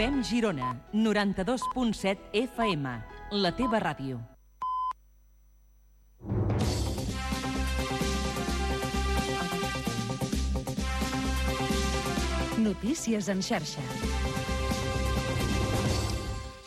Fem Girona, 92.7 FM, la teva ràdio. Notícies en xarxa.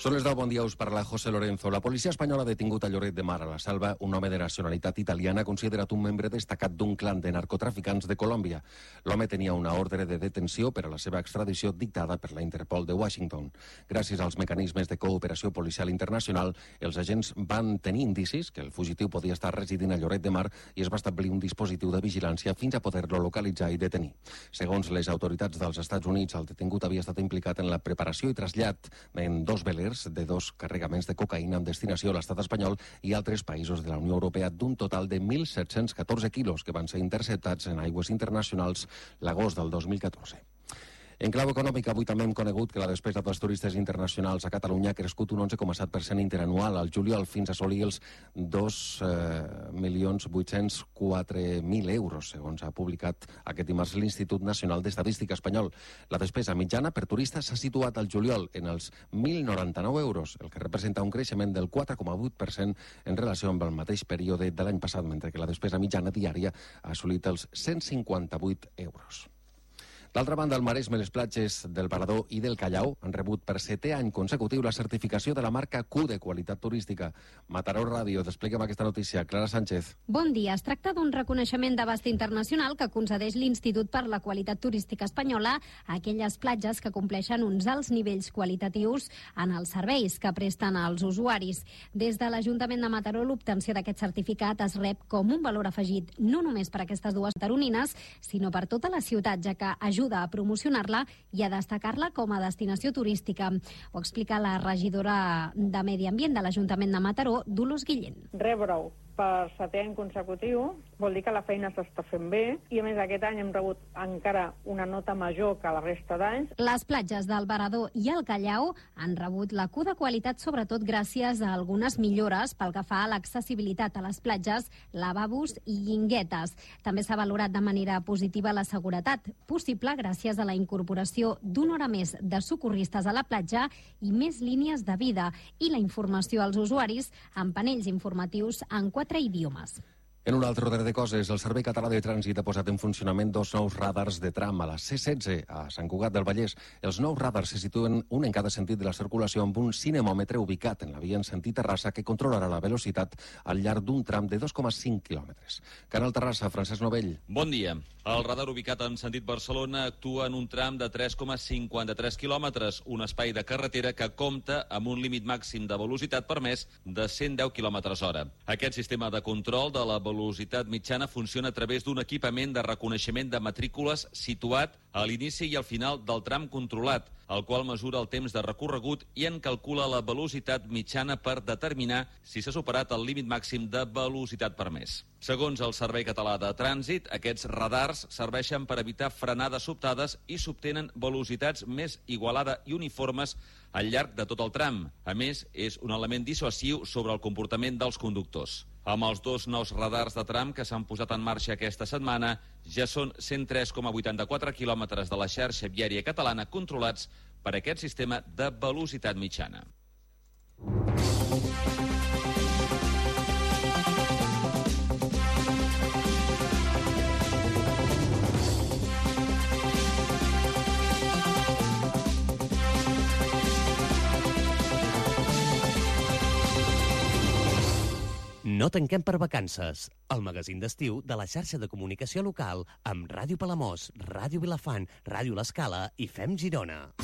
Són les 10, bon dia, us parla José Lorenzo. La policia espanyola ha detingut a Lloret de Mar, a la Selva, un home de nacionalitat italiana considerat un membre destacat d'un clan de narcotraficants de Colòmbia. L'home tenia una ordre de detenció per a la seva extradició dictada per la Interpol de Washington. Gràcies als mecanismes de cooperació policial internacional, els agents van tenir indicis que el fugitiu podia estar residint a Lloret de Mar i es va establir un dispositiu de vigilància fins a poder-lo localitzar i detenir. Segons les autoritats dels Estats Units, el detingut havia estat implicat en la preparació i trasllat en 2 velers de 2 carregaments de cocaïna amb destinació a l'estat espanyol i altres països de la Unió Europea d'un total de 1.714 quilos que van ser interceptats en aigües internacionals l'agost del 2014. En clau econòmica, avui també hem conegut que la despesa dels turistes internacionals a Catalunya ha crescut un 11,7% interanual al juliol fins a assolir els 2.804.000 euros, segons ha publicat aquest dimarts l'Institut Nacional d'Estadística Espanyol. La despesa mitjana per turista s'ha situat al juliol en els 1.099 euros, el que representa un creixement del 4,8% en relació amb el mateix període de l'any passat, mentre que la despesa mitjana diària ha assolit els 158 euros. D'altra banda, el Maresme, les platges del Parador i del Callao han rebut per 7è any consecutiu la certificació de la marca Q de qualitat turística. Mataró Ràdio, desplega'm aquesta notícia. Clara Sánchez. Bon dia. Es tracta d'un reconeixement d'abast internacional que concedeix l'Institut per la Qualitat Turística Espanyola a aquelles platges que compleixen uns alts nivells qualitatius en els serveis que presten als usuaris. Des de l'Ajuntament de Mataró, l'obtenció d'aquest certificat es rep com un valor afegit no només per aquestes dues taronines, sinó per tota la ciutat, ja que ajuda a promocionar-la i a destacar-la com a destinació turística. Ho explica la regidora de Medi Ambient de l'Ajuntament de Mataró, Dolors Guillén. Rebre-ho per 7è any consecutiu vol dir que la feina s'està fent bé i, a més, aquest any hem rebut encara una nota major que la resta d'anys. Les platges del Barador i el Callao han rebut la Q de qualitat sobretot gràcies a algunes millores pel que fa a l'accessibilitat a les platges, lavabos i guinguetes. També s'ha valorat de manera positiva la seguretat, possible gràcies a la incorporació d'una hora més de socorristes a la platja i més línies de vida i la informació als usuaris amb panells informatius en 4 idiomes. En un altre ordre de coses, el Servei Català de Trànsit ha posat en funcionament 2 nous radars de tram a la C16 a Sant Cugat del Vallès. Els nous radars se situen un en cada sentit de la circulació amb un cinemòmetre ubicat en la via en sentit Terrassa que controlarà la velocitat al llarg d'un tram de 2,5 quilòmetres. Canal Terrassa, Francesc Novell. Bon dia. El radar ubicat en sentit Barcelona actua en un tram de 3,53 quilòmetres, un espai de carretera que compta amb un límit màxim de velocitat permès de 110 quilòmetres hora. Aquest sistema de control de la velocitat mitjana funciona a través d'un equipament de reconeixement de matrícules situat a l'inici i al final del tram controlat, el qual mesura el temps de recorregut i en calcula la velocitat mitjana per determinar si s'ha superat el límit màxim de velocitat permès. Segons el Servei Català de Trànsit, aquests radars serveixen per evitar frenades sobtades i s'obtenen velocitats més igualades i uniformes al llarg de tot el tram. A més, és un element dissuasiu sobre el comportament dels conductors. Amb els 2 nous radars de tram que s'han posat en marxa aquesta setmana, ja són 103,84 quilòmetres de la xarxa viària catalana controlats per aquest sistema de velocitat mitjana. No tanquem per vacances. El magazín d'estiu de la xarxa de comunicació local amb Ràdio Palamós, Ràdio Vilafant, Ràdio L'Escala i Fem Girona.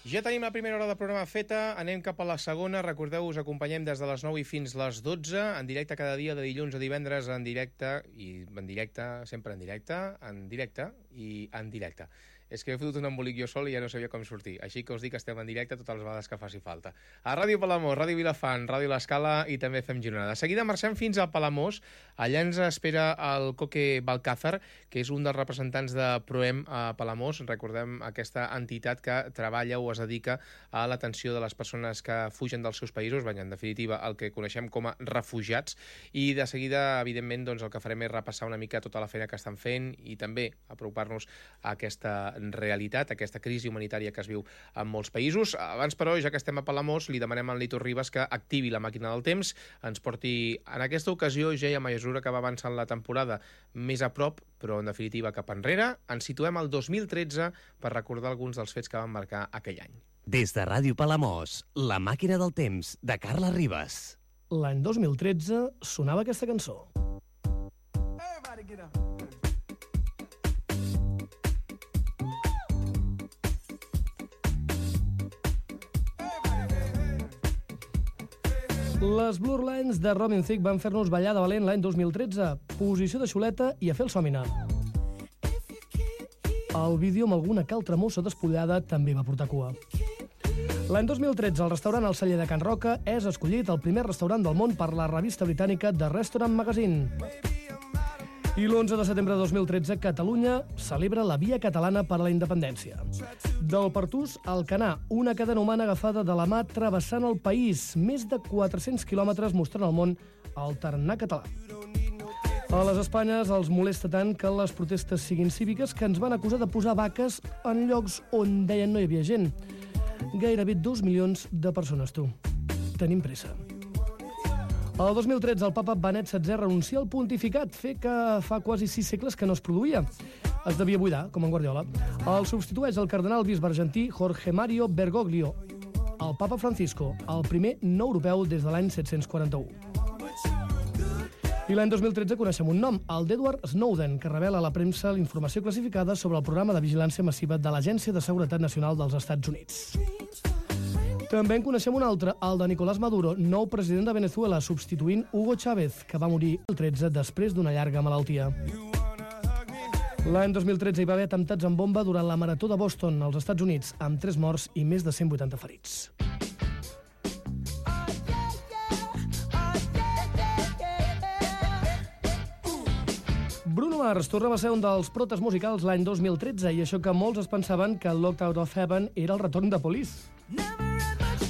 Ja tenim la primera hora del programa feta, anem cap a la segona. Recordeu, us acompanyem des de les 9 i fins les 12, en directe cada dia de dilluns a divendres, en directe, sempre en directe i en directe. És que he fotut un embolic jo sol i ja no sabia com sortir. Així que us dic que estem en directe totes les vegades que faci falta. A Ràdio Palamós, Ràdio Vilafant, Ràdio L'Escala i també Fem Girona. De seguida marxem fins a Palamós. Allà ens espera el Coque Balcázar, que és un dels representants de Proem a Palamós. Recordem aquesta entitat que treballa o es dedica a l'atenció de les persones que fugen dels seus països, en definitiva el que coneixem com a refugiats. I de seguida, evidentment, doncs, el que farem és repassar una mica tota la feina que estan fent i també apropar apropar-nos a aquesta realitat, a aquesta crisi humanitària que es viu en molts països. Abans, però, ja que estem a Palamós, li demanem al Nito Ribas que activi la màquina del temps, ens porti en aquesta ocasió, ja i a mesura que va avançant la temporada, més a prop, però en definitiva cap enrere. Ens situem al 2013 per recordar alguns dels fets que van marcar aquell any. Des de Ràdio Palamós, la màquina del temps, de Carla Ribas. L'any 2013 sonava aquesta cançó. Les Blur Lines de Robin Thicke van fer-nos ballar de valent l'any 2013. Posició de xuleta i a fer el sòmina. El vídeo amb alguna que altra mossa despullada també va portar cua. L'any 2013, el restaurant El Celler de Can Roca és escollit el primer restaurant del món per la revista britànica The Restaurant Magazine. I l'11 de setembre de 2013, Catalunya celebra la Via Catalana per a la Independència. Del Pertús al Canà, una cadena humana agafada de la mà travessant el país. Més de 400 quilòmetres mostrant al món el tarannà català. A les Espanyes els molesta tant que les protestes siguin cíviques que ens van acusar de posar vaques en llocs on deien no hi havia gent. Gairebé 2 milions de persones, tu. Tenim pressa. El 2013 el papa Benet XVI renuncia al pontificat, fer que fa quasi 6 segles que no es produïa. Es devia buidar, com en Guardiola. El substitueix el cardenal bisbe argentí Jorge Mario Bergoglio, el papa Francisco, el primer no europeu des de l'any 741. I l'any 2013 coneixem un nom, el d'Edward Snowden, que revela a la premsa la informació classificada sobre el programa de vigilància massiva de l'Agència de Seguretat Nacional dels Estats Units. També en coneixem un altre, el de Nicolás Maduro, nou president de Venezuela, substituint Hugo Chávez, que va morir el 13 després d'una llarga malaltia. L'any 2013 hi va haver atemptats amb bomba durant la Marató de Boston, als Estats Units, amb 3 morts i més de 180 ferits. Bruno Mars tornava a ser un dels protes musicals l'any 2013, i això que molts es pensaven que Locked Out of Heaven era el retorn de Police.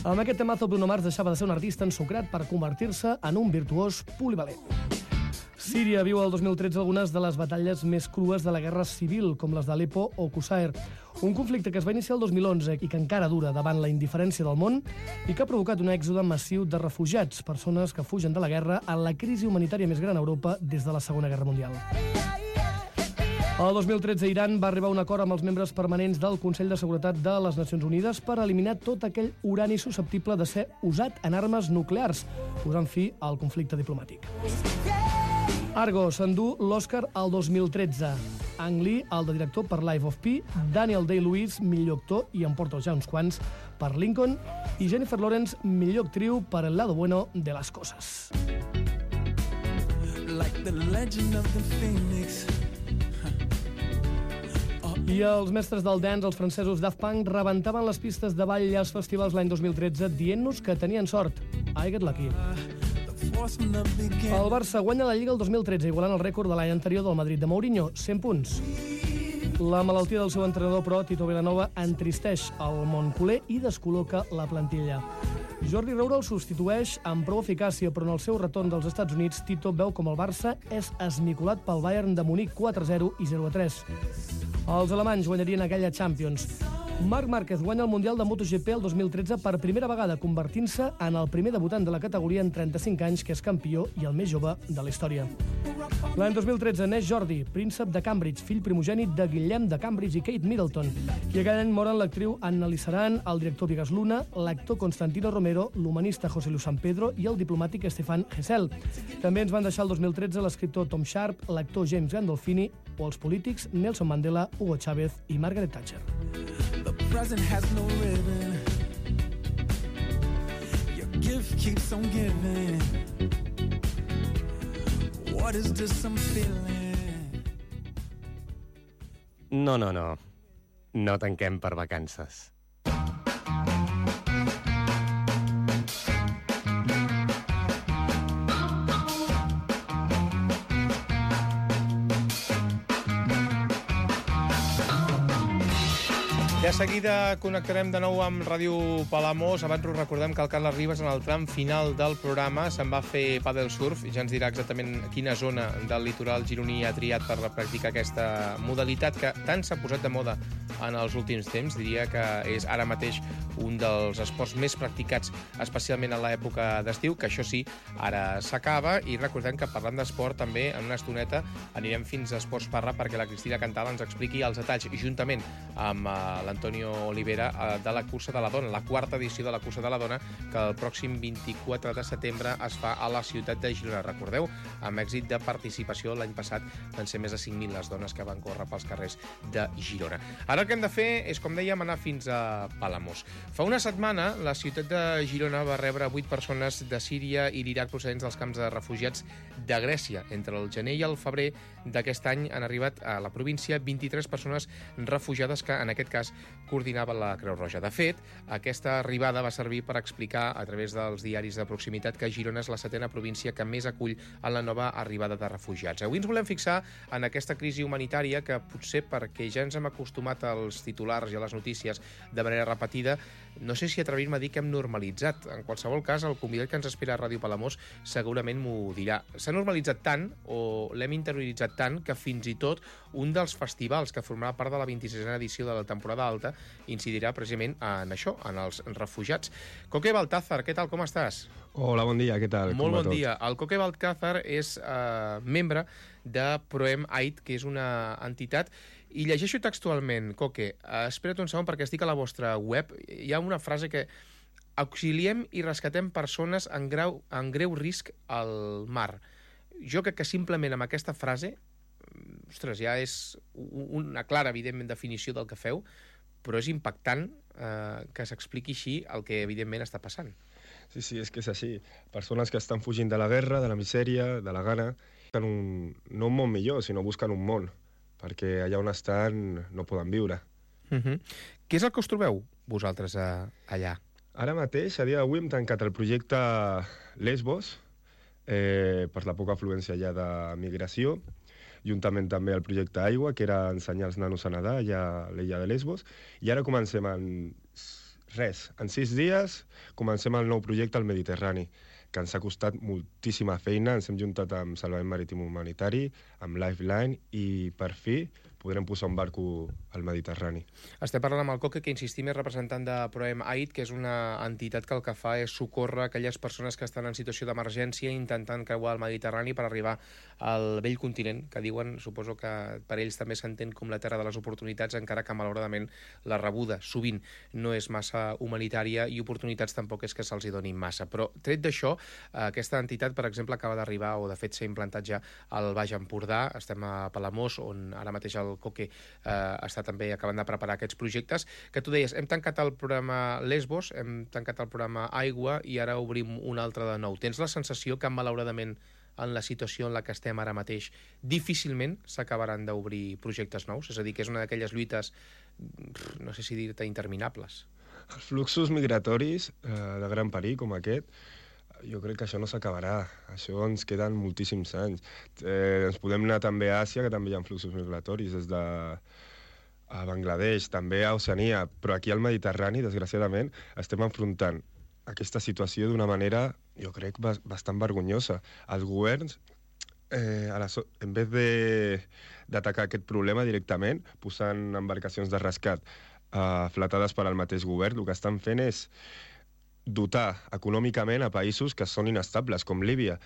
Amb aquest temazo, Bruno Mars deixava de ser un artista ensucrat per convertir-se en un virtuós polivalent. Síria viu el 2013 algunes de les batalles més crues de la guerra civil, com les d'Aleppo o Qusair, un conflicte que es va iniciar el 2011 i que encara dura davant la indiferència del món i que ha provocat un èxode massiu de refugiats, persones que fugen de la guerra en la crisi humanitària més gran a Europa des de la Segona Guerra Mundial. El 2013, Iran va arribar a un acord amb els membres permanents del Consell de Seguretat de les Nacions Unides per eliminar tot aquell urani susceptible de ser usat en armes nuclears, posant fi al conflicte diplomàtic. Argo s'endú l'Oscar al 2013. Ang Lee, el de director per Life of Pi, Daniel Day-Lewis, millor actor, i en porta ja uns quants, per Lincoln, i Jennifer Lawrence, millor actriu per El lado bueno de las cosas. Like the legend of the Phoenix. I els mestres del dance, els francesos Daft Punk, rebentaven les pistes de ball als festivals l'any 2013 dient-nos que tenien sort. I get lucky. El Barça guanya la Lliga el 2013, igualant el rècord de l'any anterior del Madrid de Mourinho, 100 punts. La malaltia del seu entrenador, però, Tito Vilanova, entristeix el món culer i descol·loca la plantilla. Jordi Roura el substitueix amb prou eficàcia, però en el seu retorn dels Estats Units, Tito veu com el Barça és esmicolat pel Bayern de Munic 4-0 i 0-3. Els alemanys guanyarien aquella Champions. Marc Márquez guanya el Mundial de MotoGP el 2013 per primera vegada, convertint-se en el primer debutant de la categoria en 35 anys que és campió i el més jove de la història. L'any 2013 neix Jordi, príncep de Cambridge, fill primogènit de Guillem de Cambridge i Kate Middleton. I aquell any moren l'actriu Anna Lizaran, el director Vigas Luna, l'actor Constantino Romero, l'humanista José Luis San Pedro i el diplomàtic Stefan Hessel. També ens van deixar el 2013 l'escriptor Tom Sharp, l'actor James Gandolfini o els polítics Nelson Mandela, Hugo Chávez i Margaret Thatcher. The present has no ribbon. Your gift keeps on giving. What is this I'm feeling? No. No tanquem per vacances. De seguida connectarem de nou amb Ràdio Palamós. Abans us recordem que el Carles Ribas, en el tram final del programa, se'n va fer pàdel surf. Ja ens dirà exactament quina zona del litoral gironí ha triat per practicar aquesta modalitat que tant s'ha posat de moda en els últims temps. Diria que és ara mateix un dels esports més practicats, especialment en l'època d'estiu, que això sí, ara s'acaba. I recordem que parlant d'esport també, en una estoneta, anirem fins a Esports Parra perquè la Cristina Cantal ens expliqui els detalls, juntament amb l'Antonio Olivera, de la Cursa de la Dona, la quarta edició de la Cursa de la Dona, que el pròxim 24 de setembre es fa a la ciutat de Girona. Recordeu, amb èxit de participació, l'any passat van ser més de 5.000 les dones que van córrer pels carrers de Girona. Ara el que hem de fer és, com dèiem, anar fins a Palamós. Fa una setmana, la ciutat de Girona va rebre 8 persones de Síria i l'Iraq procedents dels camps de refugiats de Grècia. Entre el gener i el febrer d'aquest any han arribat a la província 23 persones refugiades que, en aquest cas, coordinava la Creu Roja. De fet, aquesta arribada va servir per explicar a través dels diaris de proximitat que Girona és la 7ª província que més acull en la nova arribada de refugiats. Avui ens volem fixar en aquesta crisi humanitària que potser perquè ja ens hem acostumat als titulars i a les notícies de manera repetida, no sé si atrevir-me a dir que hem normalitzat. En qualsevol cas, el convidat que ens espera a Ràdio Palamós segurament m'ho dirà. S'ha normalitzat tant, o l'hem interioritzat tant, que fins i tot un dels festivals que formarà part de la 26a edició de la temporada alta incidirà precisament en això, en els refugiats. Coque Baltázar, què tal, com estàs? Hola, bon dia, què tal? Molt bon dia. El Coque Baltázar és membre de Proem Aid, que és una entitat. I llegeixo textualment, Coque, espera't un segon perquè estic a la vostra web. Hi ha una frase que: auxiliem i rescatem persones en greu risc al mar. Jo crec que simplement amb aquesta frase, ostres, ja és una clara, evidentment, definició del que feu, però és impactant que s'expliqui així el que, evidentment, està passant. Sí, és que és així. Persones que estan fugint de la guerra, de la misèria, de la gana, busquen no un món millor, sinó busquen un món, perquè allà on estan no poden viure. Què és el que us trobeu, vosaltres, allà? Ara mateix, a dia d'avui, hem tancat el projecte Lesbos, per la poca afluència allà de migració, juntament també el projecte Aigua, que era ensenyar els nanos a nedar allà a l'illa de Lesbos, i ara comencem en 6 dies, comencem el nou projecte al Mediterrani, que ens ha costat moltíssima feina. Ens hem juntat amb Salvament Marítim Humanitari, amb Lifeline, i per fi podrem posar un barco al Mediterrani. Estem parlant amb el Coque, que insistim és representant de Proem Aid, que és una entitat que el que fa és socórrer aquelles persones que estan en situació d'emergència intentant creuar el Mediterrani per arribar al vell continent, que diuen, suposo que per ells també s'entén com la terra de les oportunitats, encara que malauradament la rebuda sovint no és massa humanitària i oportunitats tampoc és que se'ls hi donin massa. Però tret d'això, aquesta entitat, per exemple, acaba d'arribar, o de fet s'ha implantat ja al Baix Empordà. Estem a Palamós, on ara mateix el Coque està també acabant de preparar aquests projectes, que tu deies, hem tancat el programa Lesbos, hem tancat el programa Aigua i ara obrim un altre de nou. Tens la sensació que, malauradament, en la situació en la que estem ara mateix, difícilment s'acabaran d'obrir projectes nous? És a dir, que és una d'aquelles lluites, no sé si dir-te, interminables. Els fluxos migratoris de gran perill com aquest, jo crec que això no s'acabarà. Això ens queden moltíssims anys. Ens podem anar també a Àsia, que també hi ha fluxos migratoris, des de Bangladesh, també a Oceania, però aquí al Mediterrani, desgraciadament, estem enfrontant aquesta situació d'una manera, jo crec, bastant vergonyosa. Els governs, en vez d'atacar aquest problema directament, posant embarcacions de rescat fletades per al mateix govern, el que estan fent és dotar econòmicament a països que són inestables, com Líbia,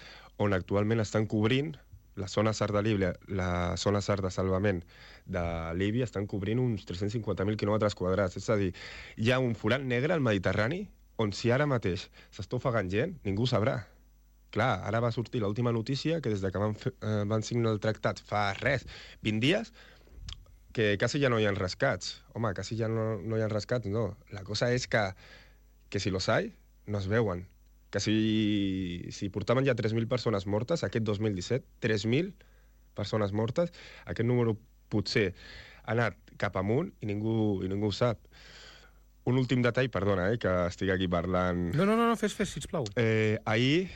on actualment estan cobrint la zona SAR de Líbia, la zona SAR de salvament de Líbia, estan cobrint uns 350.000 quilòmetres quadrats. És a dir, hi ha un forat negre al Mediterrani on si ara mateix s'està ofegant gent, ningú sabrà. Clar, ara va sortir l'última notícia que des que van signar el tractat fa 20 dies, que quasi ja no hi ha rescats. Home, quasi ja no hi ha rescats, no. La cosa és que si los hay, no es veuen. Que si portaven ja 3.000 persones mortes, aquest 2017, 3.000 persones mortes, aquest número potser ha anat cap amunt i ningú ho sap. Un últim detall, perdona, que estic aquí parlant... No, fes, sisplau. Ahir,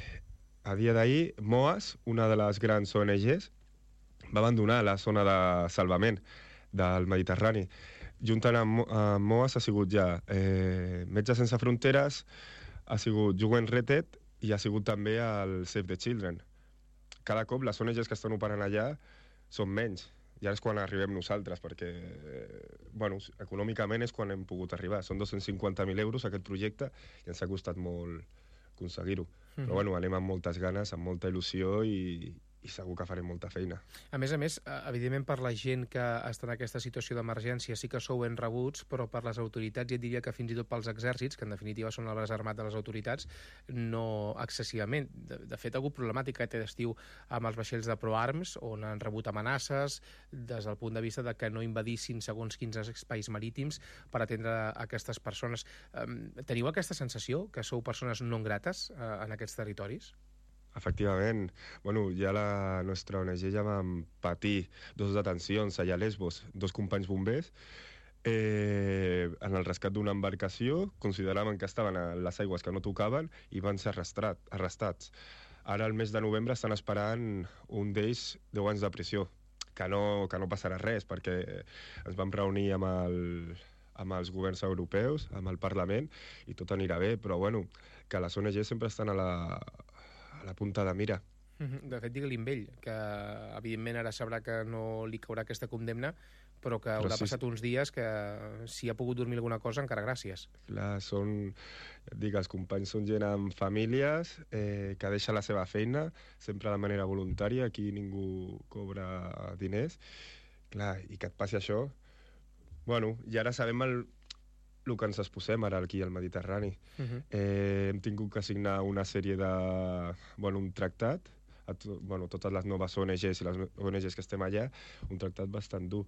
a dia d'ahir, MOAS, una de les grans ONGs, va abandonar la zona de salvament del Mediterrani. juntant amb MOAS ha sigut ja Metges Sense Fronteres, ha sigut UN Retet i ha sigut també el Save the Children. Cada cop les ONGs que estan operant allà són menys. I ara és quan arribem nosaltres, perquè econòmicament és quan hem pogut arribar. Són 250.000 euros aquest projecte i ens ha costat molt aconseguir-ho. Però anem amb moltes ganes, amb molta il·lusió i segur que farem molta feina. A més, evidentment per la gent que està en aquesta situació d'emergència sí que sou ben rebuts, però per les autoritats, ja et diria que fins i tot pels exèrcits, que en definitiva són el braç armat de les autoritats, no excessivament. De fet, ha hagut problemàtica aquest estiu amb els vaixells de ProArms, on han rebut amenaces des del punt de vista de que no invadissin segons quins espais marítims per atendre aquestes persones. Teniu aquesta sensació que sou persones non grates en aquests territoris? Efectivament. Ja la nostra ONG ja vam patir 2 detencions allà a Lesbos, 2 companys bombers, en el rescat d'una embarcació, consideraven que estaven a les aigües que no tocaven i van ser arrestats. Ara, al mes de novembre, estan esperant un d'ells 10 anys de prisió, que no passarà res, perquè ens vam reunir amb els governs europeus, amb el Parlament, i tot anirà bé, però que les ONG sempre estan a la punta de mira. De fet, digue-li amb ell, que evidentment ara sabrà que no li caurà aquesta condemna, però que haurà passat uns dies que si ha pogut dormir alguna cosa, encara gràcies. Clar, els companys són gent amb famílies que deixa la seva feina, sempre de manera voluntària, aquí ningú cobra diners. Clar, i que et passi això... I ara sabem el que ens exposem ara aquí al Mediterrani. Hem tingut que signar una sèrie de... un tractat, totes les noves ONGs i les ONGs que estem allà, un tractat bastant dur.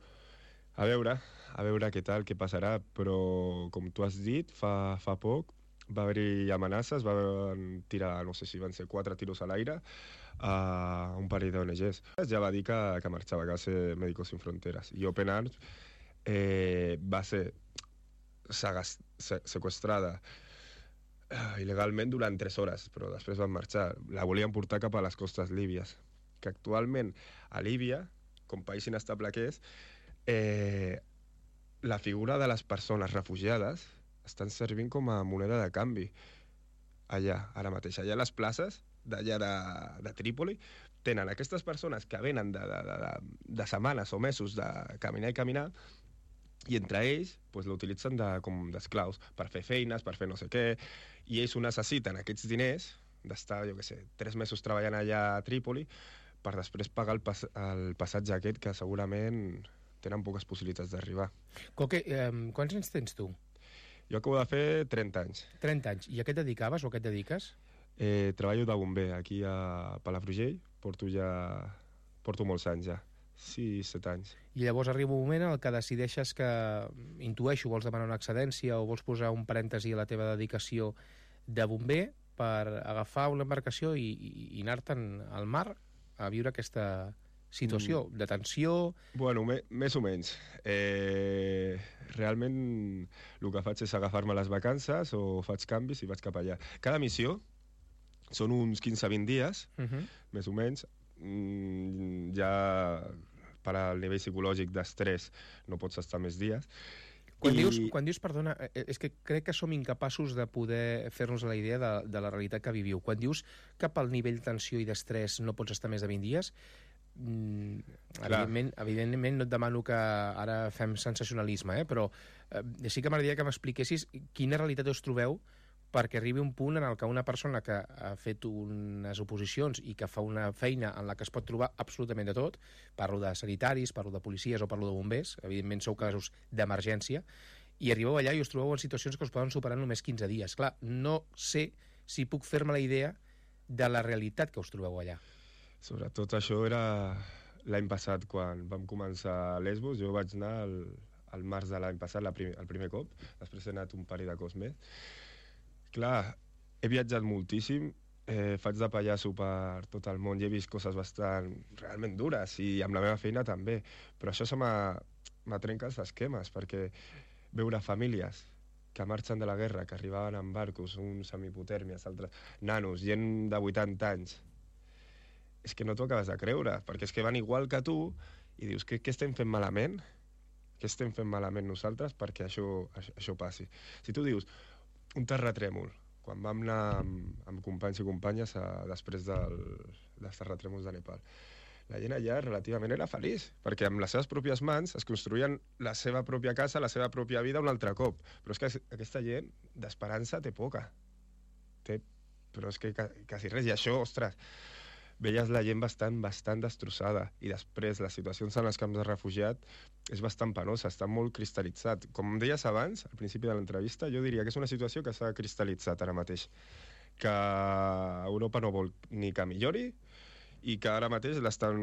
A veure què tal, què passarà, però com tu has dit, fa poc va haver-hi amenaces, van tirar, no sé si van ser 4 tiros a l'aire a un parell d'ONGs. Ja va dir que marxava, que va ser Médicos Sin Fronteras. I Open Arms va ser sequestrada il·legalment durant 3 hores, però després van marxar. La volien portar cap a les costes líbies, que actualment a Líbia, com país inestable que és, la figura de les persones refugiades estan servint com a moneda de canvi allà, ara mateix. Allà a les places d'allà de Trípoli tenen aquestes persones que venen de setmanes o mesos de caminar i caminar, i entre ells l'utilitzen com d'esclaus per fer feines, per fer no sé què, i ells ho necessiten, aquests diners, d'estar, 3 mesos treballant allà a Trípoli, per després pagar el passatge aquest, que segurament tenen poques possibilitats d'arribar. Coque, quants anys tens tu? Jo acabo de fer 30 anys. 30 anys. I a què et dedicaves o a què et dediques? Treballo de bomber aquí a Palafrugell, porto molts anys ja. 6-7 anys. I llavors arriba un moment en què decideixes que, intueixo, vols demanar una excedència o vols posar un parèntesi a la teva dedicació de bomber per agafar una embarcació i anar-te'n al mar a viure aquesta situació de tensió... Més o menys. Realment el que faig és agafar-me les vacances o faig canvis i vaig cap allà. Cada missió són uns 15-20 dies, més o menys. Ja per al nivell psicològic d'estrès no pots estar més dies. Quan dius, perdona, és que crec que som incapaços de poder fer-nos la idea de la realitat que viviu. Quan dius que pel nivell de tensió i d'estrès no pots estar més de 20 dies, evidentment no et demano que ara fem sensacionalisme, però sí que m'agradaria que m'expliquessis quina realitat us trobeu perquè arribi un punt en el que una persona que ha fet unes oposicions i que fa una feina en la que es pot trobar absolutament de tot, parlo de sanitaris, parlo de policies o parlo de bombers, evidentment sou casos d'emergència, i arribeu allà i us trobeu en situacions que us poden superar només 15 dies. Clar, no sé si puc fer-me la idea de la realitat que us trobeu allà. Sobretot això era l'any passat, quan vam començar a Lesbos. Jo vaig anar al març de l'any passat, el primer cop, després he anat un parell de cops més. Clar, he viatjat moltíssim, faig de pallasso per tot el món i he vist coses bastant realment dures, i amb la meva feina també, però això m'atrenca els esquemes, perquè veure famílies que marxen de la guerra, que arribaven en barcos, uns amb hipotèrmies, altres nanos, gent de 80 anys, és que no t'ho acabes de creure, perquè és que van igual que tu i dius, què estem fent malament? Què estem fent malament nosaltres perquè això passi? Si tu dius un terratrèmol, quan vam anar amb companys i companyes després dels terratrèmols de Nepal, la gent allà relativament era feliç, perquè amb les seves pròpies mans es construïen la seva pròpia casa, la seva pròpia vida un altre cop. Però és que aquesta gent d'esperança té poca. Però és que quasi res. I això, ostres, veies la gent bastant destrossada. I després, les situacions en els camps de refugiat és bastant penosa, està molt cristal·litzat. Com deies abans, al principi de l'entrevista, jo diria que és una situació que s'ha cristal·litzat ara mateix. Que Europa no vol ni que millori, i que ara mateix l'estan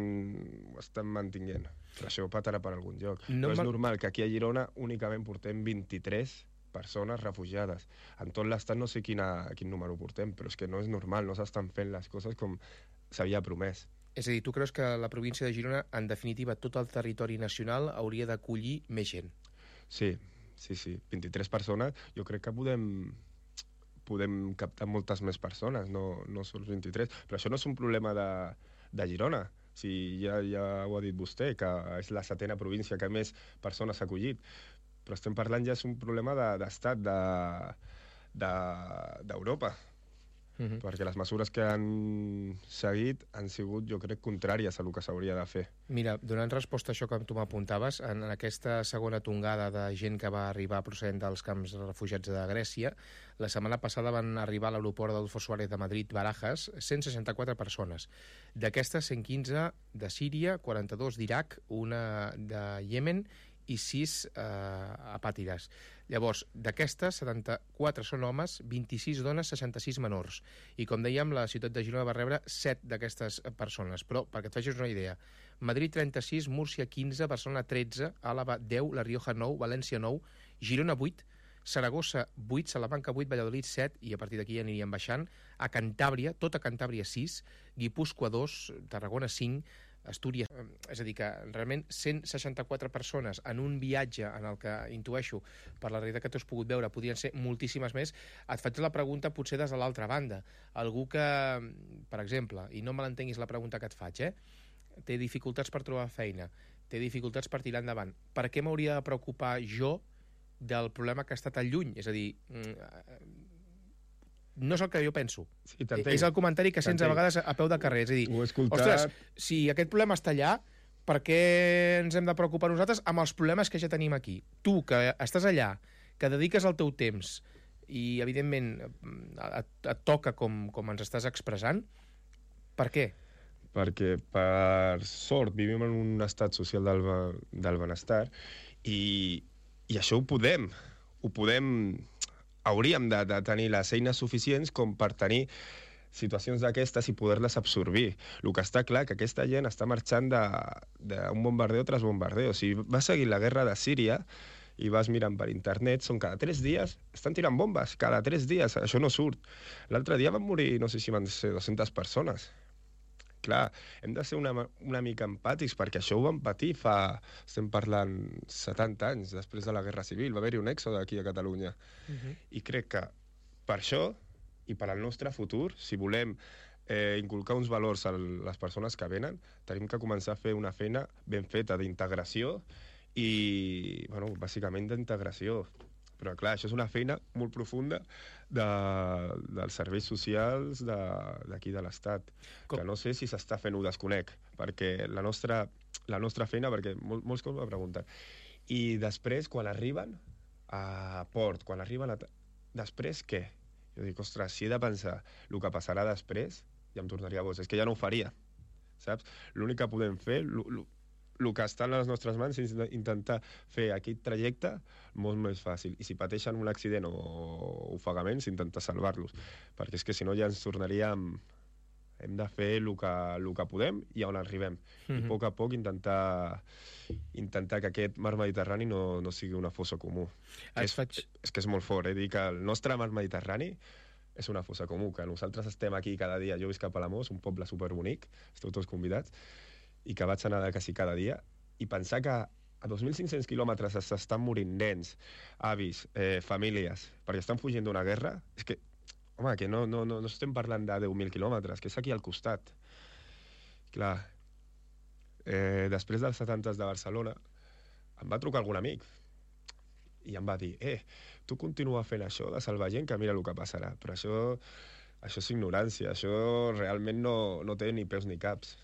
mantinguent. Però això patarà per algun lloc. No és normal que aquí a Girona únicament portem 23 persones refugiades. En tot l'estat no sé quin número portem, però és que no és normal, no s'estan fent les coses com s'havia promès. És a dir, tu creus que la província de Girona, en definitiva, tot el territori nacional hauria d'acollir més gent? Sí. 23 persones, jo crec que podem captar moltes més persones, no sols 23. Però això no és un problema de Girona. Ja ho ha dit vostè, que és la 7ª província que més persones ha acollit. Però estem parlant ja és un problema d'estat d'Europa. Perquè les mesures que han seguit han sigut, jo crec, contràries a el que s'hauria de fer. Mira, donant resposta a això que tu m'apuntaves, en aquesta segona tongada de gent que va arribar procedent dels camps de refugiats de Grècia, la setmana passada van arribar a l'aeroport d'Adolfo Suárez de Madrid, Barajas, 164 persones. D'aquestes, 115 de Síria, 42 d'Iraq, una de Iemen i 6 apàtrides. Llavors, d'aquestes, 74 són homes, 26 dones, 66 menors. I com dèiem, la ciutat de Girona va rebre 7 d'aquestes persones. Però, perquè et facis una idea, Madrid 36, Múrcia 15, Barcelona 13, Àlava 10, La Rioja 9, València 9, Girona 8, Saragossa 8, Salamanca 8, Valladolid 7, i a partir d'aquí ja aniríem baixant, a Cantàbria, tota Cantàbria 6, Guipúscoa 2, Tarragona 5, Astúries, és a dir, que realment 164 persones en un viatge en el que intueixo per la realitat que tu has pogut veure podrien ser moltíssimes més. Et faig la pregunta potser des de l'altra banda. Algú que, per exemple, i no me l'entenguis la pregunta que et faig, té dificultats per trobar feina, té dificultats per tirar endavant, per què m'hauria de preocupar jo del problema que està tan lluny? És a dir, no és el que jo penso. Sí, és el comentari que sents a vegades a peu de carrer. És a dir, ostres, si aquest problema està allà, per què ens hem de preocupar nosaltres amb els problemes que ja tenim aquí? Tu, que estàs allà, que dediques el teu temps i, evidentment, et toca com ens estàs expressant, per què? Perquè, per sort, vivim en un estat social del benestar i això ho podem. Hauríem de tenir les eines suficients com per tenir situacions d'aquestes i poder-les absorbir. El que està clar que aquesta gent està marxant d'un bombardeo tras bombardeo. Si vas seguir la guerra de Síria i vas mirant per internet, són cada 3 dies, estan tirant bombes, cada 3 dies, això no surt. L'altre dia van morir, no sé si van ser 200 persones. Clar, hem de ser una mica empàtics, perquè això ho vam patir estem parlant 70 anys després de la Guerra Civil, va haver-hi un èxode aquí a Catalunya. I crec que per això i per al nostre futur, si volem inculcar uns valors a les persones que venen, tenim que començar a fer una feina ben feta d'integració i, bàsicament d'integració. Però, clar, això és una feina molt profunda dels serveis socials d'aquí de l'Estat, que no sé si s'està fent, ho desconec, perquè la nostra feina, perquè molts cops m'ho pregunten. I després, quan arriben a port, després què? Jo dic, ostres, si he de pensar el que passarà després, ja em tornaria boig. És que ja no ho faria, saps? L'únic que podem fer, el que està en les nostres mans és intentar fer aquest trajecte molt més fàcil. I si pateixen un accident o ofegaments, intentar salvar-los. Perquè és que si no ja ens tornaríem... Hem de fer el que podem i on arribem. I a poc intentar que aquest mar Mediterrani no sigui una fossa comú. És que és molt fort, dir que el nostre mar Mediterrani és una fossa comú, que nosaltres estem aquí cada dia. Jo visc a Palamós, un poble superbonic, esteu tots convidats, i que vaig anar quasi cada dia, i pensar que a 2.500 quilòmetres s'estan morint nens, avis, famílies, perquè estan fugint d'una guerra, és que, home, que no estem parlant de 10.000 quilòmetres, que és aquí al costat. Clar, després dels atemptats de Barcelona, em va trucar algun amic i em va dir, tu continua fent això de salvar gent, que mira el que passarà. Però això és ignorància, això realment no té ni peus ni caps.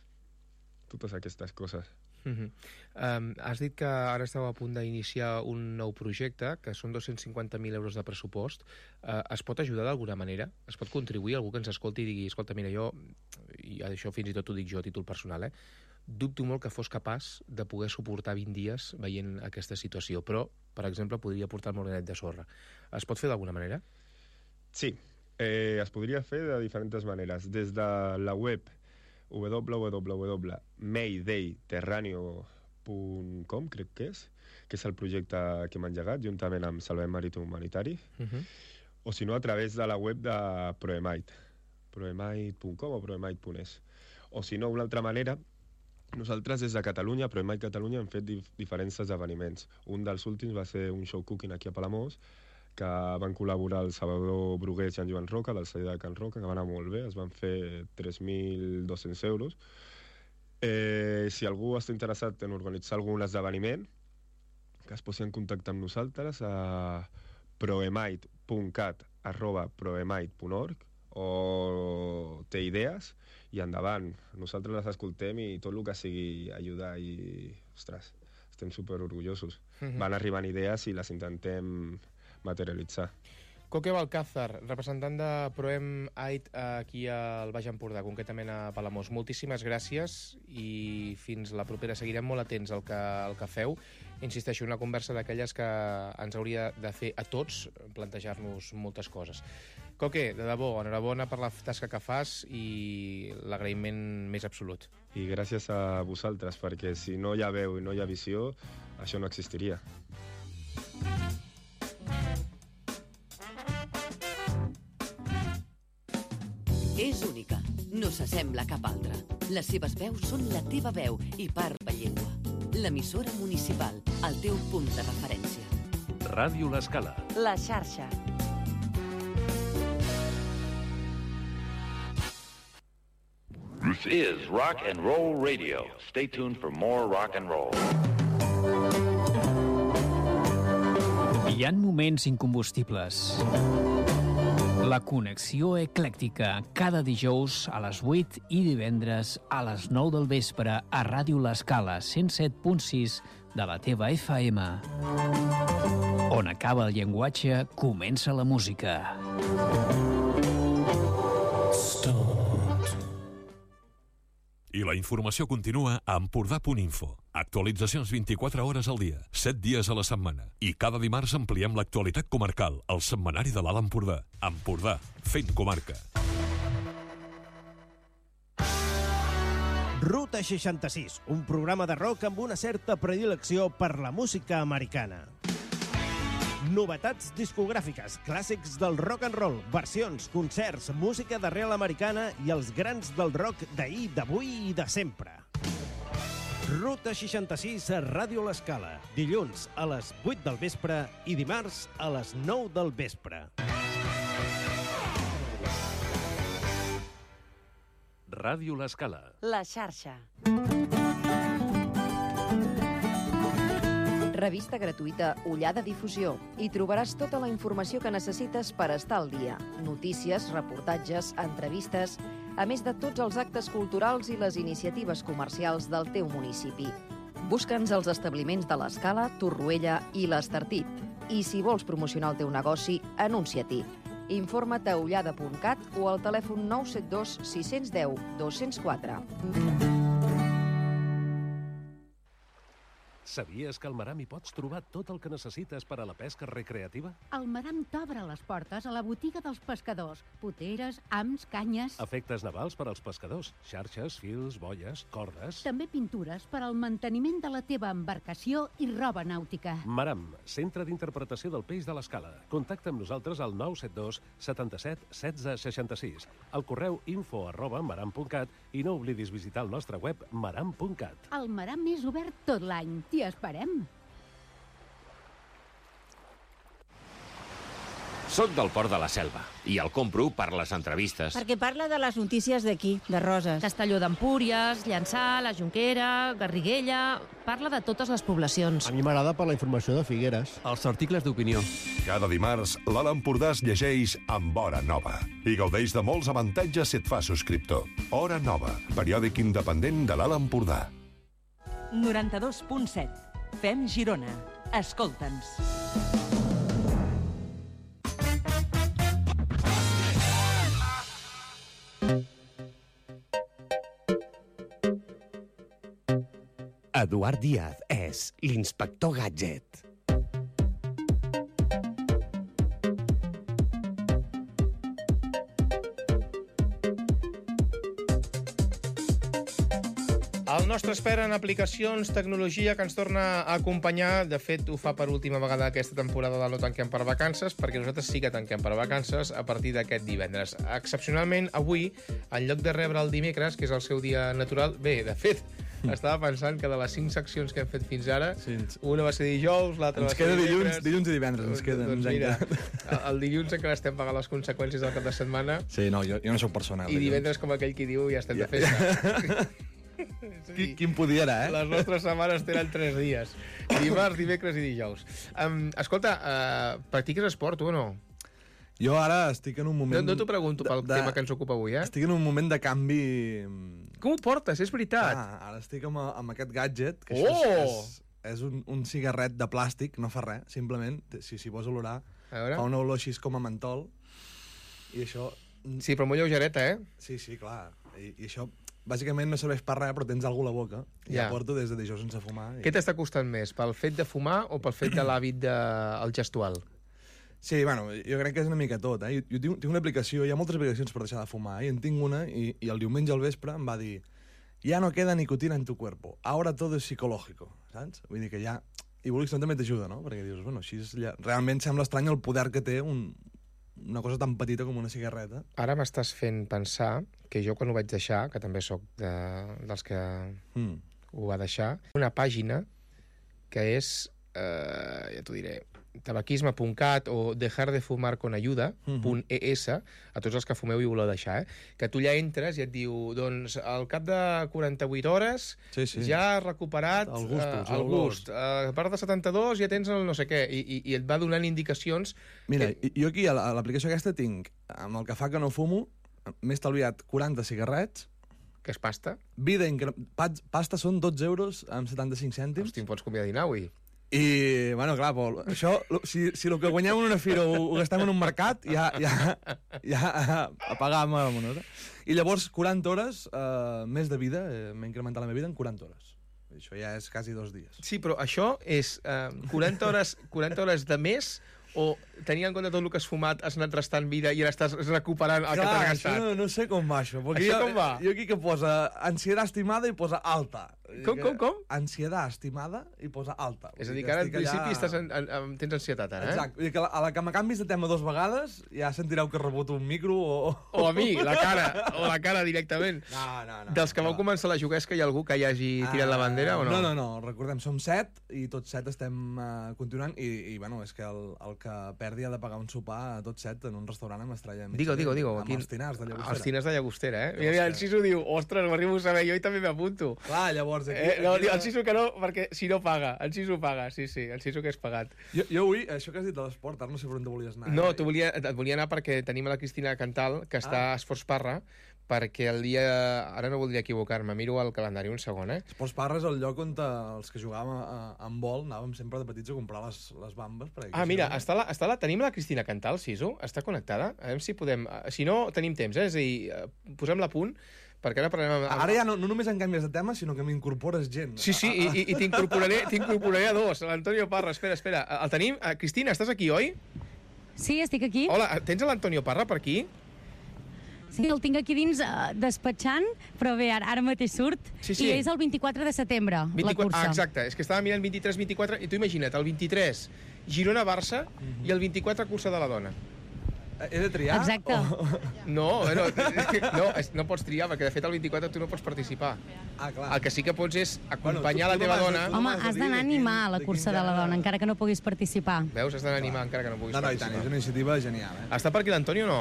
Totes aquestes coses. Has dit que ara esteu a punt d'iniciar un nou projecte, que són 250.000 euros de pressupost. Es pot ajudar d'alguna manera? Es pot contribuir? Algú que ens escolti i digui, escolta, mira, jo, i això fins i tot ho dic jo a títol personal, dubto molt que fos capaç de poder suportar 20 dies veient aquesta situació, però, per exemple, podria portar el molinet de sorra. Es pot fer d'alguna manera? Sí, es podria fer de diferents maneres. Des de la web www.maydayterraneo.com, crec que és el projecte que hem engegat, juntament amb Salvem Marítim Humanitari, o si no, a través de la web de Proemite, proemite.com o proemite.es. O si no, una altra manera, nosaltres des de Catalunya, Proemite Catalunya, hem fet diferents esdeveniments. Un dels últims va ser un show cooking aquí a Palamós, que van col·laborar el Salvador Brugués i en Joan Roca, del celler de Can Roca, que va anar molt bé, es van fer 3.200 euros. Si algú està interessat en organitzar algun esdeveniment, que es posi en contacte amb nosaltres a proemite.cat@proemite.org, o té idees, i endavant. Nosaltres les escoltem i tot el que sigui ajudar i, ostres, estem superorgullosos. Van arribant idees i les intentem materialitzar. Coque Balcázar, representant de Proemite aquí al Baix Empordà, concretament a Palamós. Moltíssimes gràcies i fins la propera. Seguirem molt atents al que feu. Insisteixo, una conversa d'aquelles que ens hauria de fer a tots plantejar-nos moltes coses. Coque, de debò, enhorabona per la tasca que fas i l'agraïment més absolut. I gràcies a vosaltres, perquè si no hi ha veu i no hi ha visió, això no existiria. És única, no s'assembla a cap altra. Les seves veus són la teva veu i part de llengua. L'emissora municipal, el teu punt de referència. Ràdio L'Escala. La xarxa. This is Rock and Roll Radio. Stay tuned for more rock and roll. Hi ha moments incombustibles. La connexió eclèctica, cada dijous a les 8 i divendres a les 9 del vespre a Ràdio L'Escala 107.6 de la teva FM. On acaba el llenguatge, comença la música. I la informació continua a Empordà.info. Actualitzacions 24 hores al dia, 7 dies a la setmana. I cada dimarts ampliem l'actualitat comarcal, al setmanari de l'Alt Empordà. Empordà, fent comarca. Ruta 66, un programa de rock amb una certa predilecció per la música americana. Novetats discogràfiques, clàssics del rock and roll, versions, concerts, música d'arrel americana i els grans del rock d'ahir, d'avui i de sempre. Ruta 66 a Ràdio L'Escala, dilluns a les 8 del vespre i dimarts a les 9 del vespre. Ràdio L'Escala. La xarxa. Revista gratuïta Ullada Difusió. Hi trobaràs tota la informació que necessites per estar al dia. Notícies, reportatges, entrevistes, a més de tots els actes culturals i les iniciatives comercials del teu municipi. Busca'ns als establiments de l'Escala, Torroella i l'Estartit. I si vols promocionar el teu negoci, anuncia-t'hi. Informa't a ullada.cat o al telèfon 972 610 204. Sabies que al Maram hi pots trobar tot el que necessites per a la pesca recreativa? El Maram t'obre les portes a la botiga dels pescadors. Poteres, hams, canyes... Efectes navals per als pescadors. Xarxes, fils, boies, cordes... També pintures per al manteniment de la teva embarcació i roba nàutica. Maram, centre d'interpretació del peix de l'Escala. Contacta amb nosaltres al 972 77 16 66. Al correu info@maram.cat i no oblidis visitar el nostre web maram.cat. El Maram és obert tot l'any. T'hi esperem. Soc del Port de la Selva i el compro per les entrevistes. Perquè parla de les notícies d'aquí, de Roses. Castelló d'Empúries, Llançà, la Jonquera, Garriguella... Parla de totes les poblacions. A mi m'agrada per la informació de Figueres. Els articles d'opinió. Cada dimarts, l'Alt Empordà es llegeix amb Hora Nova i gaudeix de molts avantatges si et fa subscriptor. Hora Nova, periòdic independent de l'Alt Empordà. 92.7. Fem Girona. Escolta'ns. Eduard Díaz és l'inspector Gadget. El nostre expert en aplicacions, tecnologia, que ens torna a acompanyar. De fet, ho fa per última vegada aquesta temporada de No Tanquem per Vacances, perquè nosaltres sí que tanquem per vacances a partir d'aquest divendres. Excepcionalment, avui, en lloc de rebre el dimecres, que és el seu dia natural... Bé, de fet, estava pensant que de les 5 seccions que hem fet fins ara, una va ser dijous, l'altra va ser dimecres... Dilluns i divendres, ens queda. Doncs mira, el dilluns encara estem pagant les conseqüències del cap de setmana. Sí, no, jo no soc personal. I divendres, com aquell qui diu, ja estem de festa. Quin podia era, eh? Les nostres setmanes tenen 3 dies. Dimarts, dimecres i dijous. Escolta, practiques esport, tu o no? Jo ara estic en un moment... No t'ho pregunto pel tema que ens ocupa avui, eh? Estic en un moment de canvi... Com ho portes? És veritat. Ara estic amb aquest gadget, que és un cigarret de plàstic, no fa res, simplement, si s'hi vols olorar, fa una olor així com a mentol, i això... Sí, però molt lleugereta, eh? Sí, clar. I això... Bàsicament no serveix per res, però tens alguna a la boca. I ja porto des de dijous sense fumar. Què t'està costant més? Pel fet de fumar o pel fet de l'hàbit del gestual? Sí, bueno, jo crec que és una mica tot. Jo tinc una aplicació, hi ha moltes aplicacions per deixar de fumar, i en tinc una, i el diumenge al vespre em va dir «Ya no queda nicotina en tu cuerpo, ahora todo es psicológico», saps? Vull dir que ja... I vulguis també t'ajuda, no? Perquè dius, bueno, així realment sembla estrany el poder que té una cosa tan petita com una cigarreta. Ara m'estàs fent pensar que jo quan ho vaig deixar, que també sóc dels que ho va deixar, una pàgina que és, ja t'ho diré, tabaquisme.cat o dejardefumarconayuda.es, a tots els que fumeu i voleu deixar, que tu allà entres i et diu, doncs, al cap de 48 hores ja has recuperat el gust. A part de 72 ja tens el no sé què, i et va donant indicacions... Mira, jo aquí a l'aplicació aquesta tinc, amb el que fa que no fumo, m'he estalviat 40 cigarrets, que és pasta. Pasta són 12 euros amb 75 cèntims. Hosti, em pots convidar a dinar avui? I, bueno, clar, Pol, això, si el que guanyem en una fira ho gastem en un mercat, ja apagàvem la moneda. I llavors, 40 hores més de vida, m'he incrementat la meva vida en 40 hores. Això ja és quasi 2 dies. Sí, però això és 40 hores de més, o tenint en compte tot el que has fumat, has anat restant vida i ara estàs recuperant el que t'has gastat? No sé com va això. Això com va? Jo aquí que posa ansietat estimada i posa alta. Com? Ansietat estimada i posa alta. És a dir, que ara en principi tens ansietat, ara, Exacte. Vull dir que a la que me canvis de tema 2 vegades ja sentireu que reboto un micro o a mi, la cara directament. No. Dels que vau començar la juguesca, hi ha algú que hi hagi tirat la bandera o no? No, recordem, som 7 i tots 7 estem continuant i bueno, és que el que perdi ha de pagar un sopar a tots 7 en un restaurant amb estrella mitja. Digo. Amb els tinars de Llagostera. Els tinars de Llagostera, eh? Mira, el Sisu diu, ostres, m'arribo a saber, jo i també m'apunto. Clar, llavors... No, el Sisu que no, perquè si no paga. El Sisu paga, sí, el Sisu que és pagat. Jo avui, això que has dit de l'esport, ara no sé per on te volies anar. No, et volia anar perquè tenim a la Cristina Cantal, que està a Esports Parra, perquè el dia... Ara no voldria equivocar-me, miro el calendari un segon, eh? Esports Parra és el lloc on els que jugàvem amb vol anàvem sempre de petits a comprar les bambes. Mira, tenim la Cristina Cantal, Sisu, està connectada? A veure si podem... Si no, tenim temps, És a dir, posem-la a punt, perquè ara parlem amb... Ara ja no només en canvies de tema, sinó que m'incorpores gent. Sí, i t'incorporaré a 2. L'Antonio Parra, espera. El tenim? Cristina, estàs aquí, oi? Sí, estic aquí. Hola, tens l'Antonio Parra per aquí? Sí, el tinc aquí dins despatxant, però bé, ara mateix surt. Sí. I és el 24 de setembre, la cursa. Exacte, és que estava mirant 23-24, i tu imagina't, el 23 Girona-Barça i el 24 cursa de la dona. He de triar? Exacte. No, no pots triar, perquè de fet el 24 tu no pots participar. Ah, clar. El que sí que pots és acompanyar la teva dona... Home, has d'anar a animar a la cursa de la dona, encara que no puguis participar. Veus? Has d'anar a animar encara que no puguis No, i participar. tant, és una iniciativa genial. Està per aquí l'Antonio o no?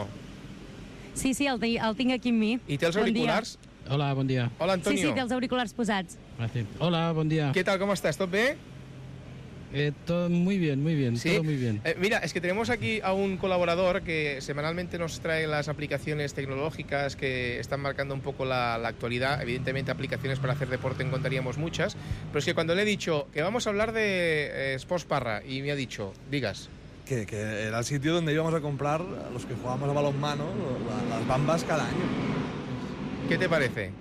Sí, el tinc aquí amb mi. I té els auriculars? Hola, buen día. Hola, Antonio. Sí, té els auriculars posats. Gracias. Hola, buen día. ¿Qué tal? ¿Cómo estás? ¿Todo bien? Todo muy bien, ¿Sí? todo muy bien. Mira, es que tenemos aquí a un colaborador que semanalmente nos trae las aplicaciones tecnológicas que están marcando un poco la actualidad. Evidentemente, aplicaciones para hacer deporte encontraríamos muchas, pero es que cuando le he dicho que vamos a hablar de Sports Parra, y me ha dicho, digas... Que era el sitio donde íbamos a comprar, a los que jugamos a balonmano, las bambas cada año. ¿Qué te parece?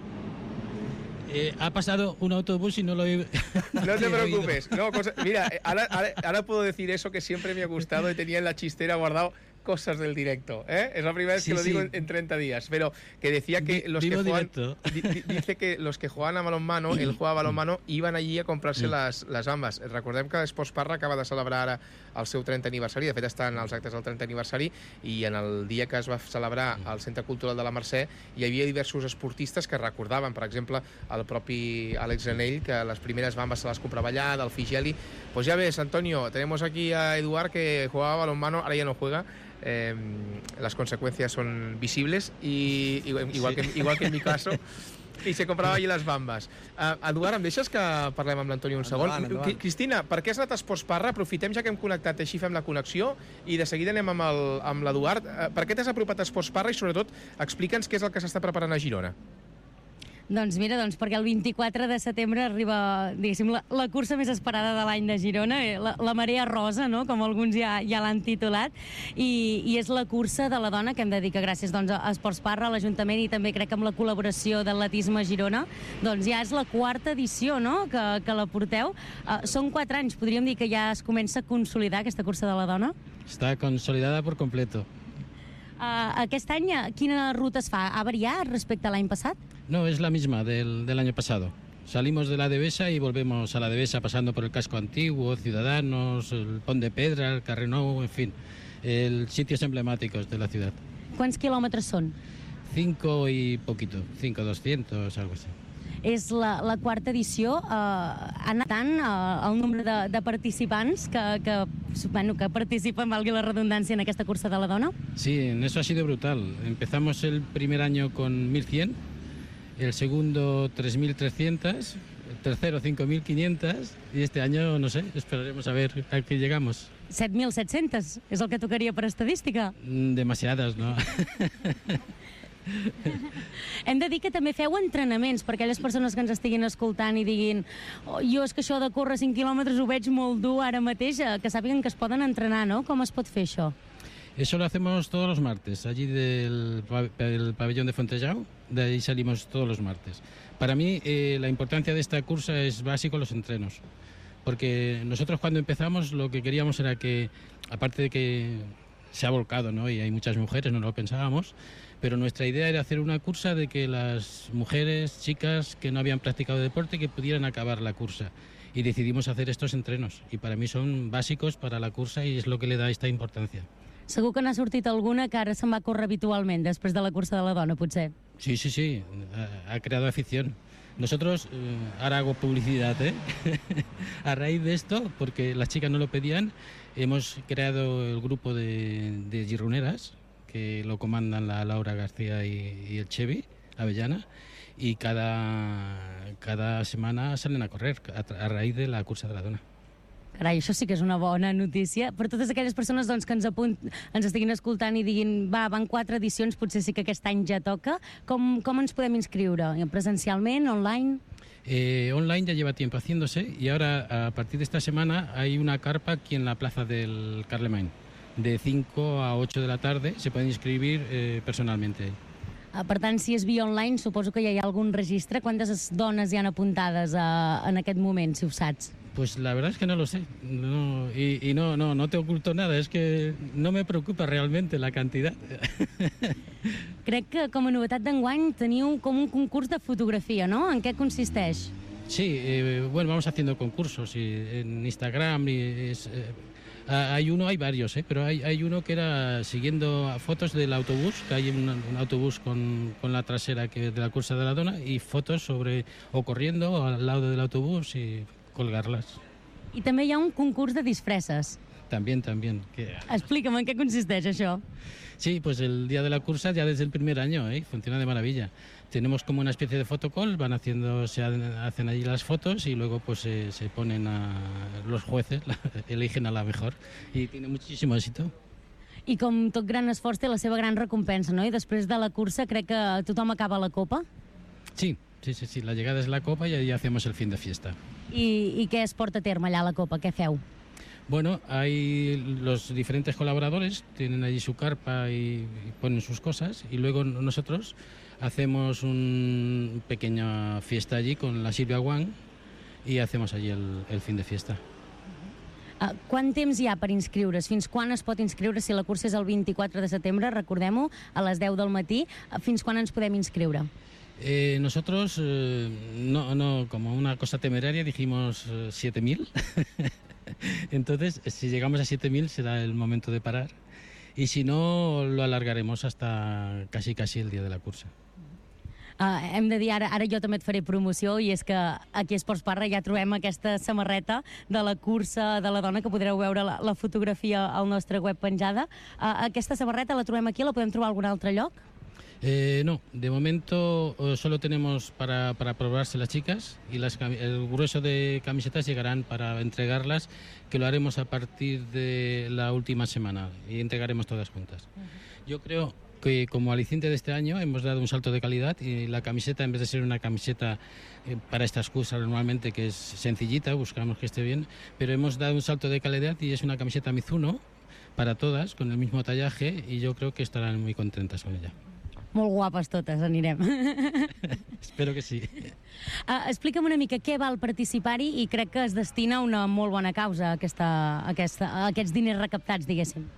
Ha pasado un autobús y no lo he... No te preocupes. No, mira, ahora puedo decir eso que siempre me ha gustado y tenía en la chistera guardado cosas del directo. Es la primera vez que lo digo en 30 días. Pero que decía que los que juegan... Dice que los que jugaven a balonmano, él jugava a balonmano, iban allí a comprar-se les bambes. Recordem que Esports Parra acaba de celebrar ara el seu 30 aniversari. De fet, estan els actes del 30 aniversari i en el dia que es va celebrar al Centre Cultural de la Mercè hi havia diversos esportistes que recordaven, per exemple, el propi Àlex Granell, que les primeres bambes se les comprava allà, del Figeli. Pues ya ves, Antonio, tenemos aquí a Eduard que jugaba a balonmano, ahora ya no juega. Las consecuencias son visibles y igual que en mi caso, i se comprava allí les bambes. Eduard, em deixes que parlem amb l'Antonio un segon? Endavant. Cristina, per què has anat a Esports Parra? Aprofitem ja que hem connectat, així fem la connexió i de seguida anem amb l'Eduard. Per què t'has apropat a Esports Parra i sobretot explica'ns què és el que s'està preparant a Girona? Doncs mira, perquè el 24 de setembre arriba, diguéssim, la cursa més esperada de l'any de Girona, la marea rosa, no?, com alguns ja l'han titulat, i és la cursa de la dona que hem de dir que gràcies a Esports Parra, a l'Ajuntament i també crec que amb la col·laboració d'Atletisme Girona, doncs ja és la quarta edició, no?, que la porteu. Són 4 anys, podríem dir que ja es comença a consolidar aquesta cursa de la dona? Está consolidada por completo. Aquest any, quina ruta es fa? Ha variat respecte a l'any passat? No, es la misma del año pasado. Salimos de la Devesa y volvemos a la Devesa pasando por el casco antiguo, Ciudadanos, el Pont de Pedra, el Carrer Nou, en fin, sitios emblemáticos de la ciudad. Quants quilòmetres són? 5 y poquito, 5.200, algo así. És la quarta edició. Ha anat tant el nombre de participants que participen, valgui la redundància, en aquesta cursa de la dona? Sí, en eso ha sido brutal. Empezamos el primer año con 1.100, el segundo 3.300, el tercero 5.500 y este año, no sé, esperaremos a ver a qué llegamos. 7.700 és el que tocaria per estadística? Demasiadas, no? Hem de dir que també feu entrenaments per aquelles persones que ens estiguin escoltant i diguin jo és que això de córrer 5 quilòmetres ho veig molt dur ara mateix, que sàpiguen que es poden entrenar, no? Com es pot fer això? Eso lo hacemos todos los martes, allí del pabellón de Fontellao, de ahí salimos todos los martes. Para mí la importancia de esta cursa es básico los entrenos, porque nosotros cuando empezamos lo que queríamos era que, aparte de que se ha volcado, ¿no?, y hay muchas mujeres, no lo pensábamos, pero nuestra idea era hacer una cursa de que las mujeres, chicas que no habían practicado deporte, que pudieran acabar la cursa. Y decidimos hacer estos entrenos, y para mí son básicos para la cursa y es lo que le da esta importancia. Segur que n'ha sortit alguna que ara se'n va córrer habitualment després de la cursa de la dona, potser. Sí, ha creado afición. Nosotros, ahora hago publicidad, a raíz de esto, porque las chicas no lo pedían, hemos creado el grupo de gironeras, que lo comandan la Laura García y el Chevy Avellana, y cada semana salen a correr a raíz de la cursa de la dona. Carai, això sí que és una bona notícia. Per totes aquelles persones doncs, que ens estiguin escoltant i diguin van 4 edicions, potser sí que aquest any ja toca. Com ens podem inscriure? Presencialment, online? Online ya lleva tiempo haciéndose y ahora, a partir de esta semana, hay una carpa aquí en la plaza del Carlemany. De 5 a 8 de la tarde se pueden inscribir personalmente. Per tant, si és via online, suposo que ja hi ha algun registre. Quantes dones hi han apuntades en aquest moment, si ho saps? Pues la verdad es que no lo sé. No te oculto nada. Es que no me preocupa realmente la cantidad. Crec que com a novetat d'enguany teniu com un concurs de fotografia, no? En què consisteix? Sí, bueno, vamos haciendo concursos en Instagram. Hay varios, pero hay uno que era siguiendo fotos del autobús, que hay un autobús con la trasera de la cursa de la dona, y fotos o corriendo o al lado del autobús y colgarlas. I també hi ha un concurs de disfresses. También. Explica'm en què consisteix això. Sí, pues el día de la cursa ya desde el primer año, funciona de maravilla. Tenemos como una especie de fotocall, se hacen allí las fotos y luego pues se ponen los jueces, eligen a la mejor y tiene muchísimo éxito. I com tot gran esforç té la seva gran recompensa, no? I després de la cursa crec que tothom acaba la copa. Sí, la llegada es la copa y ahí hacemos el fin de fiesta. I què es porta a terme allà a la copa? Què feu? Bueno, hay los diferentes colaboradores, tienen allí su carpa y ponen sus cosas, y luego nosotros hacemos una pequeña fiesta allí con la Silvia Wang y hacemos allí el fin de fiesta. Quant temps hi ha per inscriure's? Fins quan es pot inscriure? Si la cursa és el 24 de setembre, recordem-ho, a les 10 del matí. Fins quan ens podem inscriure? Nosotros, no, como una cosa temeraria, dijimos 7.000. Entonces, si llegamos a 7.000 será el momento de parar. Y si no, lo alargaremos hasta casi el día de la cursa. Hem de dir, ara jo també et faré promoció, i és que aquí a Esports Parra ja trobem aquesta samarreta de la cursa de la dona, que podreu veure la fotografia al nostre web penjada. Aquesta samarreta la trobem aquí, la podem trobar a algun altre lloc? No, de momento solo tenemos para probarse las chicas, y el grueso de camisetas llegarán para entregarlas, que lo haremos a partir de la última semana y entregaremos todas juntas. Yo creo que como aliciente de este año hemos dado un salto de calidad, y la camiseta, en vez de ser una camiseta para estas cosas normalmente que es sencillita, buscamos que esté bien, pero hemos dado un salto de calidad y es una camiseta Mizuno para todas, con el mismo tallaje, y yo creo que estarán muy contentas con ella. Molt guapes totes, anirem. Espero que sí. Explica'm una mica què val participar-hi, i crec que es destina a una molt bona causa, a aquests diners recaptats, diguéssim.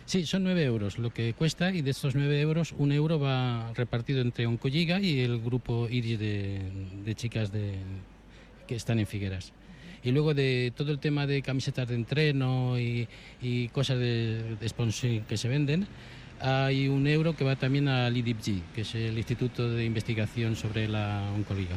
Sí, son 9 euros lo que cuesta, y de estos 9 euros, 1 euro va repartido entre Oncolliga y el grupo Iris de chicas que están en Figueras. Y luego de todo el tema de camisetas de entreno y cosas de sponsoring que se venden, hay 1 euro que va también al IDIPG, que es el Instituto de Investigación sobre la Oncoliga.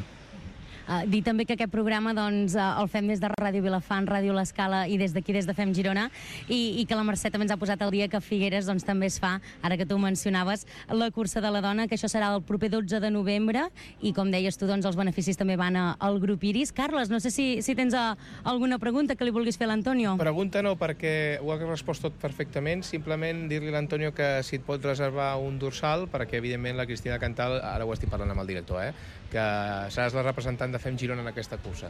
Dir també que aquest programa doncs, el fem des de Ràdio Vilafant, Ràdio L'Escala i des d'aquí, des de Fem Girona, i que la Mercè també ens ha posat el dia que a Figueres doncs, també es fa, ara que tu mencionaves, la cursa de la dona, que això serà el proper 12 de novembre, i com deies tu, doncs, els beneficis també van al grup Iris. Carles, no sé si tens alguna pregunta que li vulguis fer a l'Antonio. Pregunta no, perquè ho ha respost tot perfectament. Simplement dir-li a l'Antonio que si et pot reservar un dorsal, perquè evidentment la Cristina Cantal, ara ho estic parlant amb el director, que seràs la representant de Fem Girona en aquesta cursa.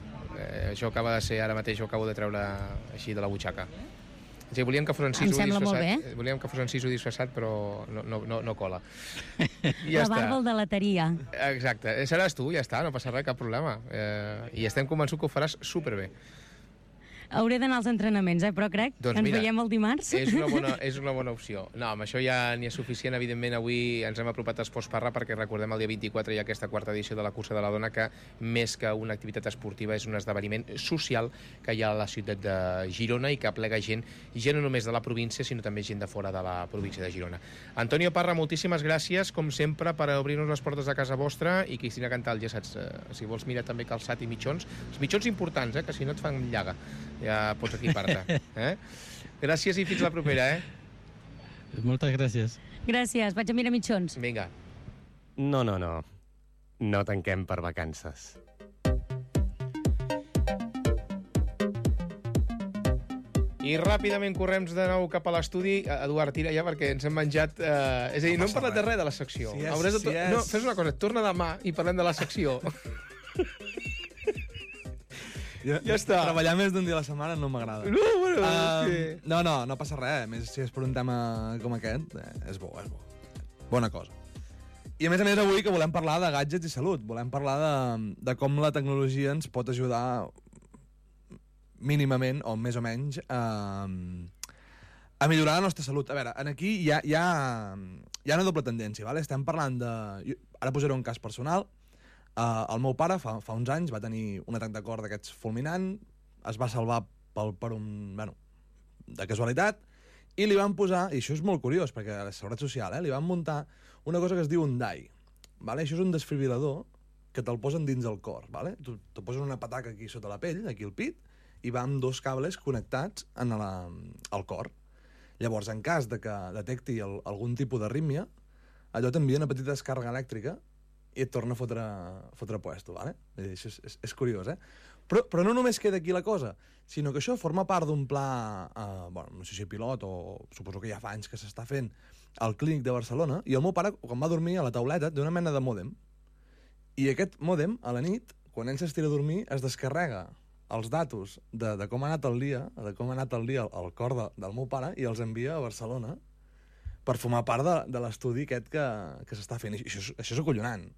Això acaba de ser, ara mateix ho acabo de treure així de la butxaca. O sigui, volíem que fos en siso disfressat, però no cola. Ja la barba al de lateria. Exacte. Seràs tu, ja està, no passa res, cap problema. I estem convençuts que ho faràs superbé. Hauré d'anar als entrenaments, però crec que ens veiem el dimarts. És una bona opció. No, amb això ja n'hi ha suficient. Evidentment, avui ens hem apropat a Esports Parra perquè recordem el dia 24 hi ha aquesta quarta edició de la cursa de la dona, que més que una activitat esportiva és un esdeveniment social que hi ha a la ciutat de Girona i que aplega gent no només de la província, sinó també gent de fora de la província de Girona. Antonio Parra, moltíssimes gràcies, com sempre, per obrir-nos les portes de casa vostra, i Cristina Cantal, ja saps, si vols mirar també calçat i mitjons, els mitjons importants, que si no et fan llaga. Ja pots equipar-te. Gràcies i fins la propera, Moltes gràcies. Gràcies, vaig a mirar mitjons. Vinga. No. No tanquem per vacances. I ràpidament correm de nou cap a l'estudi. Eduard, tira ja, perquè ens hem menjat... És a dir, no hem parlat de res de la secció. No, fes una cosa, torna demà i parlem de la secció. Ja està. Treballar més d'un dia a la setmana no m'agrada. No passa res. Més si és per un tema com aquest, és bo. Bona cosa. I a més avui que volem parlar de gadgets i salut. Volem parlar de com la tecnologia ens pot ajudar mínimament, o més o menys, a millorar la nostra salut. A veure, aquí hi ha una doble tendència, ¿vale? Estem parlant de... Ara posaré un cas personal. El meu pare fa uns anys va tenir un atac de cor d'aquests fulminant, es va salvar per un... Bueno, de casualitat, i li van posar, i això és molt curiós, perquè a la Seguretat Social, li van muntar una cosa que es diu un DAI. Vale? Això és un desfibrilador que te'l posen dins el cor. Vale? Te posen una pataca aquí sota la pell, aquí al pit, i va amb 2 cables connectats al cor. Llavors, en cas de que detecti algun tipus d'arrítmia, allò t'envia una petita descàrrega elèctrica i et torna a fotre puesto, ¿vale? Això és curiós, eh? Però no només queda aquí la cosa, sinó que això forma part d'un pla, no sé si pilot o suposo que ja fa anys que s'està fent al Clínic de Barcelona, i el meu pare, quan va dormir a la tauleta, té una mena de mòdem. I aquest mòdem, a la nit, quan ell s'estira a dormir, es descarrega els datos de com ha anat el dia, al cor del meu pare, i els envia a Barcelona per formar part de l'estudi aquest que s'està fent. I això és acollonant.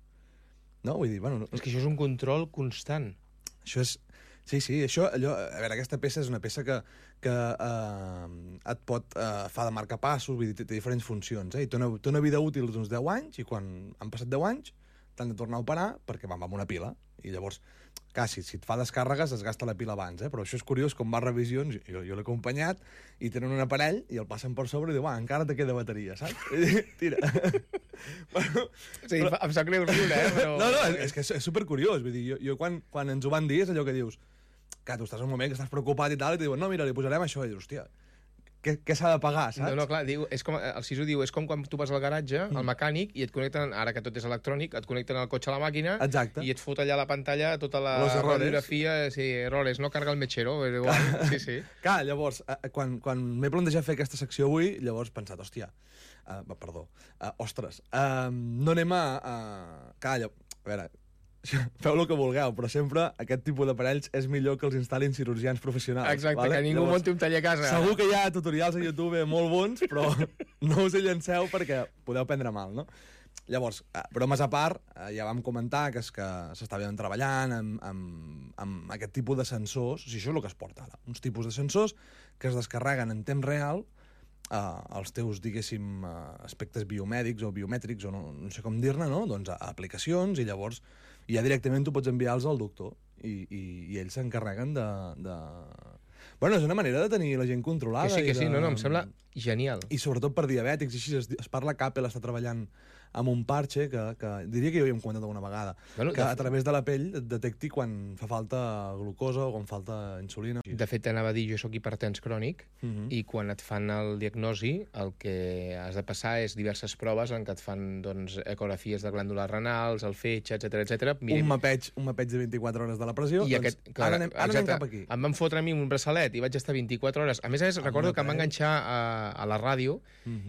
No? Vull dir, bueno... És que això és un control constant. Això és... Sí, això... A veure, aquesta peça és una peça que et pot... fa de marcapassos, vull dir, té diferents funcions, eh? I té una vida útil d'uns 10 anys, i quan han passat 10 anys t'han de tornar a operar perquè va amb una pila. I llavors, clar, si et fa descàrregues es gasta la pila abans, eh? Però això és curiós, com va a revisions, jo l'he acompanyat, i tenen un aparell i el passen per sobre i diu, encara te queda bateria, saps? Tira. Bueno, sí, em sap greu riure, Però... No, és que és supercuriós. Vull dir, jo quan ens ho van dir és allò que dius, que tu estàs en un moment que estàs preocupat i tal, i te diuen, no, mira, li posarem això, i dius, hòstia, què s'ha de pagar, saps? No, clar, és com, el Sisu diu, és com quan tu vas al garatge, al mecànic, i et connecten, ara que tot és electrònic, et connecten el cotxe a la màquina. Exacte. I et fot allà a la pantalla tota la radiografia, sí, errors, no carga el metxero, igual, sí. Clar, llavors, quan m'he plantejat fer aquesta secció avui, llavors he pensat, hòstia, ostres, no anem a... Clar, a veure, feu el que vulgueu, però sempre aquest tipus d'aparells és millor que els instal·lin cirurgians professionals. Exacte, vale? Que ningú munti un taller a casa. Segur que hi ha tutorials a YouTube molt bons, però no us hi llanceu perquè podeu prendre mal, no? Llavors, bromes a part, ja vam comentar que s'estaven treballant amb aquest tipus de sensors, o sigui, això és el que es porta ara, uns tipus de sensors que es descarreguen en temps real els teus, diguéssim, aspectes biomèdics o biomètrics, o no sé com dir-ne, no? Doncs a aplicacions, i llavors ja directament tu pots enviar-los al doctor i ells s'encarreguen de... Bueno, és una manera de tenir la gent controlada. Que sí, no, em sembla genial. I sobretot per diabètics, així es parla que Apple està treballant amb un parche que diria que jo ja hem comentat alguna vegada, que a través de la pell et detecti quan fa falta glucosa o quan falta insulina. De fet, anava a dir, jo soc hipertens crònic, i quan et fan el diagnosi, el que has de passar és diverses proves en què et fan, doncs, ecografies de glàndules renals, el fetge, etc. Un mapeig de 24 hores de la pressió, i doncs ara anem cap aquí. Em van fotre a mi un braçalet i vaig estar 24 hores. A més, recordo que em va enganxar a la ràdio,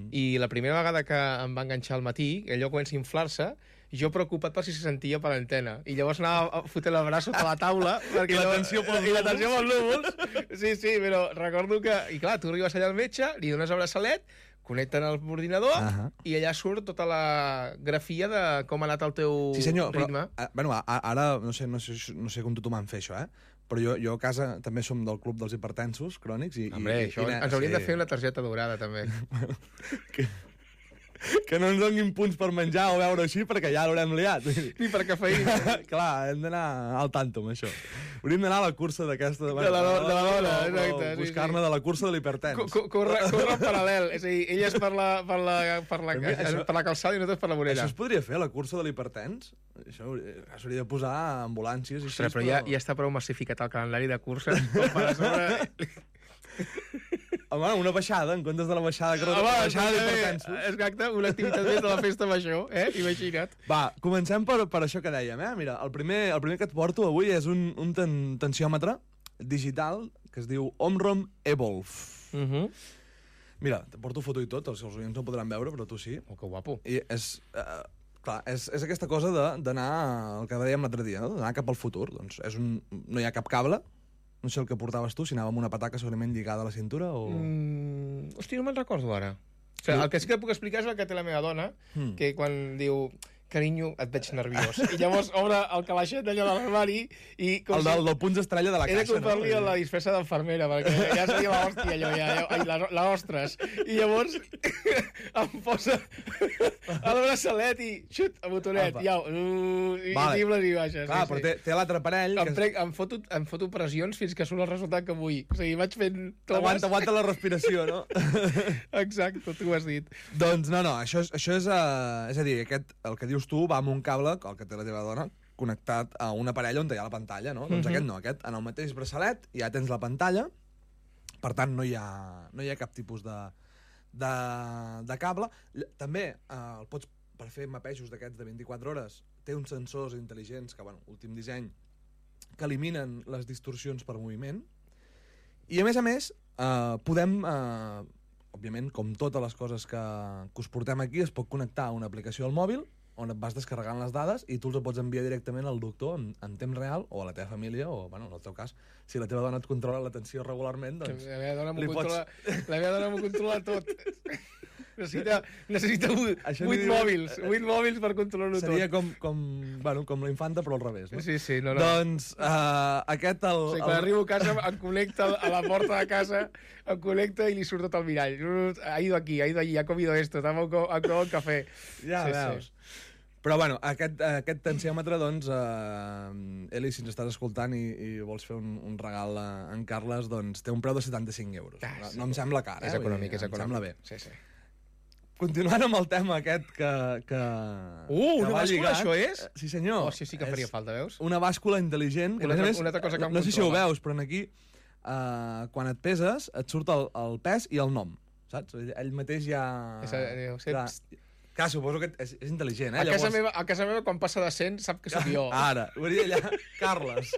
i la primera vegada que em va enganxar al matí, allò comença a inflar-se, jo preocupat per si se sentia per l'antena. I llavors anava a fotre el braç sota la taula. I la tensió pels núvols. Sí, però recordo que... I clar, tu arribes allà al metge, li dones el braçalet, connecten el ordinador, i allà surt tota la grafia de com ha anat el teu ritme. Sí, senyor, però ara no sé com tothom en fer això, però jo a casa també som del club dels hipertensos crònics. Hombre, ens hauríem de fer una targeta daurada, també. Que no ens donin punts per menjar o beure així, perquè ja l'haurem liat. Ni per cafeïna. Clar, hem d'anar al tanto amb això. Hauríem d'anar a la cursa d'aquesta... De la dona, exacte. Buscar-ne de la cursa de l'hipertens. Corre en paral·lel. És a dir, ella és per la calçada i nosaltres per la vorera. Això es podria fer, la cursa de l'hipertens? Això s'hauria de posar ambulàncies. Ostres, però ja està prou massificat el calendari de curses com per a sobre... Home, una baixada, en comptes de la baixada que una baixada d'hipertensos. Exacte, una activitat més de la festa major, imagina't. Va, comencem per això que dèiem, Mira, el primer que et porto avui és un tensiòmetre digital que es diu Omron Evolve. Mira, te porto foto i tot, els oients no podran veure, però tu sí. Oh, que guapo. I clar, és aquesta cosa d'anar, el que dèiem l'altre dia, d'anar cap al futur. Doncs no hi ha cap cable. No sé el que portaves tu, si anava amb una pataca segurament lligada a la cintura o... Hòstia, no me'n recordo ara. O sigui, el que sí que puc explicar és el que té la meva dona, que quan diu... carinyo, et veig nerviós. I llavors obre el calaixet allà de l'armari i... El del punts estrella de la caixa, no? He de comprar-li la disfressa d'enfermera, perquè ja seria l'hòstia, allò, l'ostres. I llavors em posa el braçalet i xut, a botonet, i tibles i baixes. Clar, però té l'altre parell... Em foto pressions fins que surt el resultat que vull. O sigui, vaig fent... Aguanta la respiració, no? Exacte, tu ho has dit. Doncs no, això és... És a dir, el que dius tu va amb un cable, el que té la teva dona, connectat a un aparell on hi ha la pantalla, no? Doncs aquest no, aquest en el mateix braçalet ja tens la pantalla, per tant no hi ha cap tipus de cable. També el pots, per fer mapejos d'aquests de 24 hores, té uns sensors intel·ligents que, bueno, últim disseny, que eliminen les distorsions per moviment, i a més podem... òbviament, com totes les coses que us portem aquí, es pot connectar a una aplicació al mòbil on et vas descarregant les dades i tu els pots enviar directament al doctor en temps real o a la teva família o, bueno, en el teu cas, si la teva dona et controla l'atenció regularment, doncs... La meva dona m'ho controla tot. Necessita 8 mòbils per controlar-ho tot. Seria com la infanta, però al revés, no? Sí, no. Doncs aquest... Quan arribo a casa em connecta a la porta de casa, em connecta i li surt tot el mirall. Ha ido aquí, ha ido allí, ha comido esto, ha comido el café. Ja veus. Però, bueno, aquest tensiòmetre, doncs, Eli, si ens estàs escoltant i vols fer un regal a en Carles, doncs té un preu de 75 euros. No em sembla car, És econòmic, és econòmic. Em sembla bé. Sí. Continuant amb el tema aquest que una bàscula, això és? Sí, senyor. Això sí que faria falta, veus? Una bàscula intel·ligent. Una altra cosa que em no sé si ho veus, però aquí, quan et peses, et surt el pes i el nom, saps? Ell mateix ja... Clar, suposo que és intel·ligent, eh? A casa meva, quan passa de 100, sap que soc jo. Ara, ho diria allà, Carles.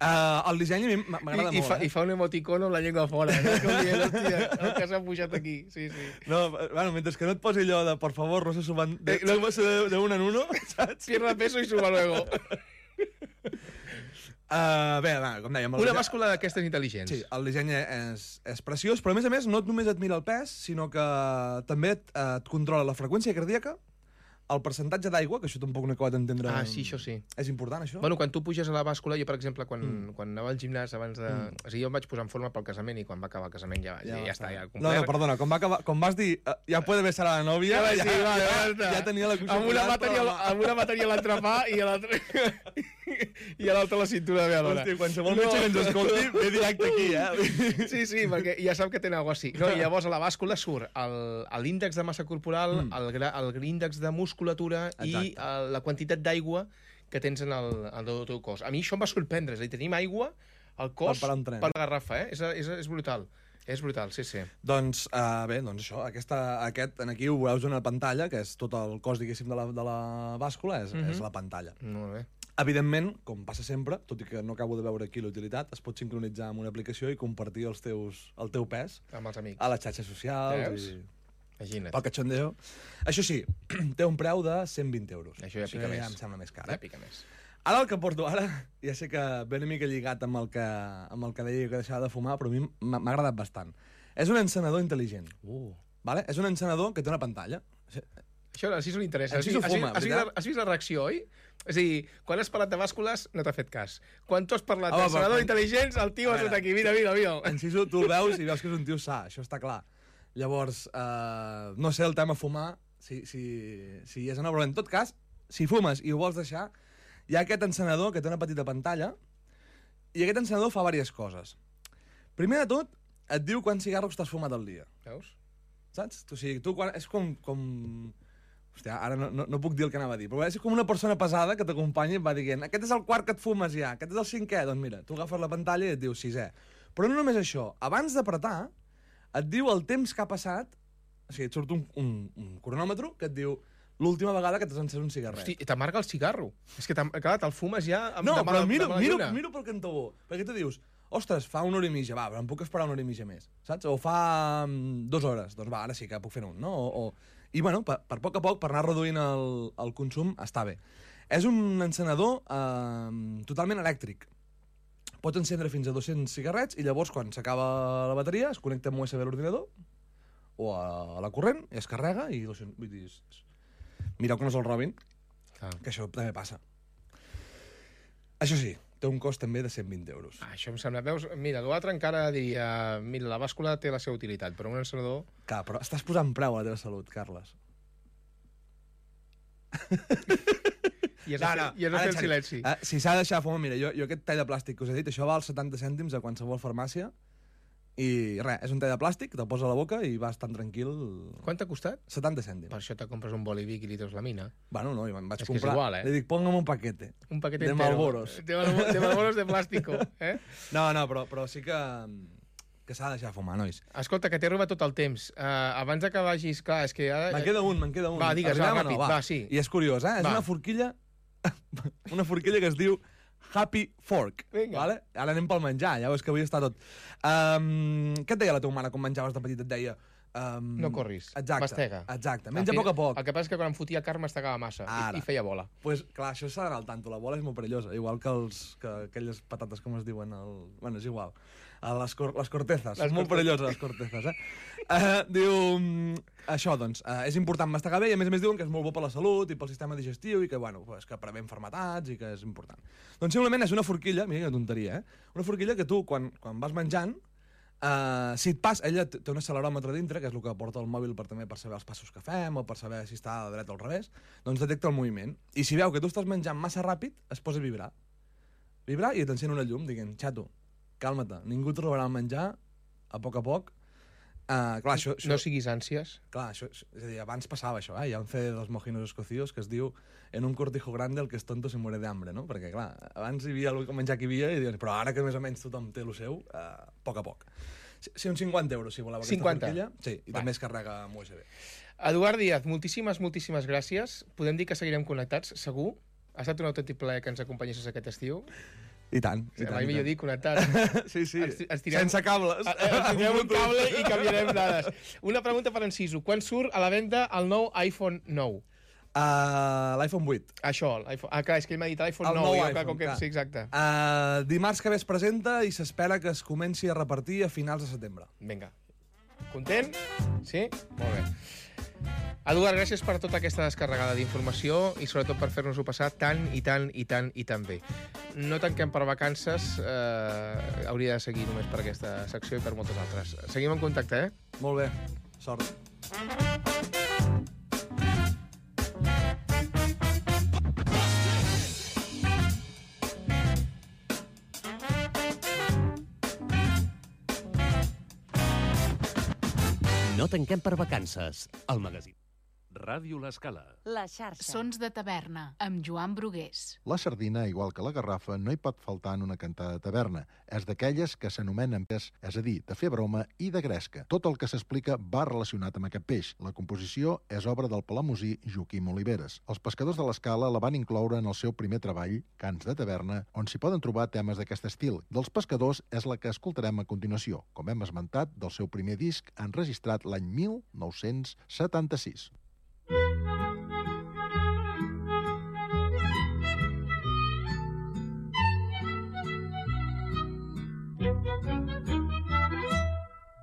El disseny a mi m'agrada molt, I fa un emoticono amb la llengua fora. Com dient, hòstia, el que s'ha pujat aquí. Sí. No, bueno, mentre que no et posi allò de, por favor, no se suban de uno en uno, saps? Pierda peso i suba luego. Bé, com dèiem... Una bàscula d'aquestes intel·ligents. Sí, el disseny és preciós, però a més, no només et mira el pes, sinó que també et controla la freqüència cardíaca, el percentatge d'aigua, que això tampoc no he acabat d'entendre... Sí, això sí. És important, això? Bueno, quan tu puges a la bàscula, jo, per exemple, quan anava al gimnàs abans de... O sigui, jo em vaig posar en forma pel casament i quan va acabar el casament ja està, ja complert. No, perdona, quan vas dir ja puede besar a la novia, ja tenia la cosa... Amb una matèria a l'entrepà i a l'altra a la cintura de la meva dona. Hosti, qualsevol metge que ens escolti ve directe aquí, eh? Sí, perquè ja sap que té alguna cosa així. No, i llavors a la bàscula surt l'índex de massa corporal, l'índex de musculatura i la quantitat d'aigua que tens en el teu cos. A mi això em va sorprendre, és a dir, tenim aigua al cos per la garrafa, és brutal. És brutal, sí. Doncs, bé, això, aquest aquí ho veus una pantalla, que és tot el cos, diguéssim, de la bàscula, és la pantalla. Molt bé. Evidentment, com passa sempre, tot i que no acabo de veure aquí l'utilitat, es pot sincronitzar amb una aplicació i compartir el teu pes amb els amics a les xarxes socials. Imagina't. Pel cachondeo. Això sí, té un preu de 120 euros. Això ja pica més. Ja em sembla més car. Ja pica més. Ara el que porto ara, ja sé que ve una mica lligat amb el que deia que deixava de fumar, però a mi m'ha agradat bastant. És un encenedor intel·ligent. Vale? És un encenedor que té una pantalla. Això sí li interessa. Has vist la reacció, oi? És a dir, quan has parlat de bàscules, no t'ha fet cas. Quan tu has parlat d'encenedor intel·ligents, el tio ha estat aquí, mira. Enciso, tu el veus i veus que és un tio sa, això està clar. Llavors, no sé el tema fumar, si és una broma. En tot cas, si fumes i ho vols deixar, hi ha aquest encenedor que té una petita pantalla i aquest encenedor fa diverses coses. Primer de tot, et diu quants cigarros t'has fumat al dia. Veus? Saps? O sigui, tu és com... Hòstia, ara no puc dir el que anava a dir, però és com una persona pesada que t'acompanya i et va dient aquest és el quart que et fumes ja, aquest és el cinquè. Doncs mira, tu agafes la pantalla i et diu sisè. Però no només això, abans d'apretar, et diu el temps que ha passat, o sigui, et surt un cronòmetre que et diu l'última vegada que t'has encès un cigarret. Hosti, t'amarga el cigarro. És que, clar, te'l fumes ja... No, però miro pel cantó bo, perquè tu dius, ostres, fa una hora i mitja, va, però em puc esperar una hora i mitja més, saps? O fa 2 hores, doncs va, ara sí que puc fer un, no? I, bueno, per poc a poc, per anar reduint el consum, està bé. És un encenedor totalment elèctric. Pots encendre fins a 200 cigarrets i llavors, quan s'acaba la bateria, es connecta amb USB a l'ordinador o a la corrent i es carrega i 200... Vull dir, mireu que no se'l robin, que això també passa. Això sí, té un cost també de 120 euros. Això em sembla... Veus, mira, l'altre encara diria... Mira, la bàscula té la seva utilitat, però un encenedor... Clar, però estàs posant preu a la teva salut, Carles. I has de fer el silenci. Si s'ha de deixar fumar, mira, jo aquest tall de plàstic que us he dit, això val 70 cèntims a qualsevol farmàcia, i res, és un tall de plàstic, te'l poses a la boca i vas tan tranquil... Quant t'ha costat? 70 cèntims. Per això te compres un bolivic i li treus la mina. Bueno, no, i me'n vaig és comprar... És igual, Li dic, póngame un paquete. Un paquete de entero. Malboros. De Malboros de plàstico, eh? No, però sí que s'ha de deixar fumar, nois. Escolta, que t'he robat tot el temps. Abans que vagis... Clar, és que ara... Me'n queda un. Va, digues, ràpid, va, sí. I és curiós, eh? És una forquilla... Una forquilla que es diu Happy Fork. Vale? Ara anem pel menjar, ja veus que avui està tot. Què et deia la teva mare quan menjaves de petit? Et deia... no corris, mastega. Exacte, menja a poc a poc. El que passa és que quan em fotia carn mastegava massa i feia bola. Pues, clar, això s'ha d'anar al tanto, la bola és molt perillosa, igual que aquelles patates, com es diuen, bueno, és igual, les cortezas, són molt perilloses les cortezas, diu, això, doncs, és important mastegar bé i a més diuen que és molt bo per la salut i pel sistema digestiu i que, bueno, que prevé malalties i que és important. Doncs simplement és una forquilla, mira quina tonteria, una forquilla que tu, quan vas menjant, si et passa, ella té un acceleròmetre dintre, que és el que porta el mòbil per saber els passos que fem o per saber si està a la dreta o al revés, doncs detecta el moviment. I si veu que tu estàs menjant massa ràpid, es posa a vibrar. Vibrar i t'encén una llum dient, xato, calma-te, ningú et robarà el menjar, a poc. Clar, això... No siguis ànsies. Clar, això, és a dir, abans passava això, hi ha un CD dels mojinos escocidos que es diu en un cortijo grande el que es tonto se muere de hambre, no? Perquè, clar, abans hi havia el menjar que hi havia, i diuen, però ara que més o menys tothom té el seu, a poc. Sí, uns 50 euros, si voleu aquesta forquilla. Sí, i també es carrega amb USB. Eduard Díaz, moltíssimes gràcies. Podem dir que seguirem connectats, segur? Ha estat un autèntic plaer que ens acompanyessis aquest estiu. I tant. Mai millor dir connectat. Sí. Sense cables. Tirem un cable i canviarem dades. Una pregunta per Enciso. Quan surt a la venda el nou iPhone 9? L'iPhone 8. Això, clar, és que ell m'ha dit l'iPhone 9. Sí, exacte. Dimarts que ve es presenta i s'espera que es comenci a repartir a finals de setembre. Vinga. Content? Sí? Molt bé. Eduard, gràcies per tota aquesta descarregada d'informació i sobretot per fer-nos-ho passar tan bé. No tanquem per vacances, hauria de seguir només per aquesta secció i per moltes altres. Seguim en contacte, eh? Molt bé, sort. No tanquem per vacances, el magazín. Ràdio L'Escala. La xarxa. Sons de taverna, amb Joan Brugués. La sardina, igual que la garrafa, no hi pot faltar en una cantada de taverna. És d'aquelles que s'anomenen peix, és a dir, de fer broma i de gresca. Tot el que s'explica va relacionat amb aquest peix. La composició és obra del palamosí Joaquim Oliveres. Els pescadors de l'Escala la van incloure en el seu primer treball, Cants de taverna, on s'hi poden trobar temes d'aquest estil. Dels pescadors és la que escoltarem a continuació, com hem esmentat, del seu primer disc enregistrat l'any 1976.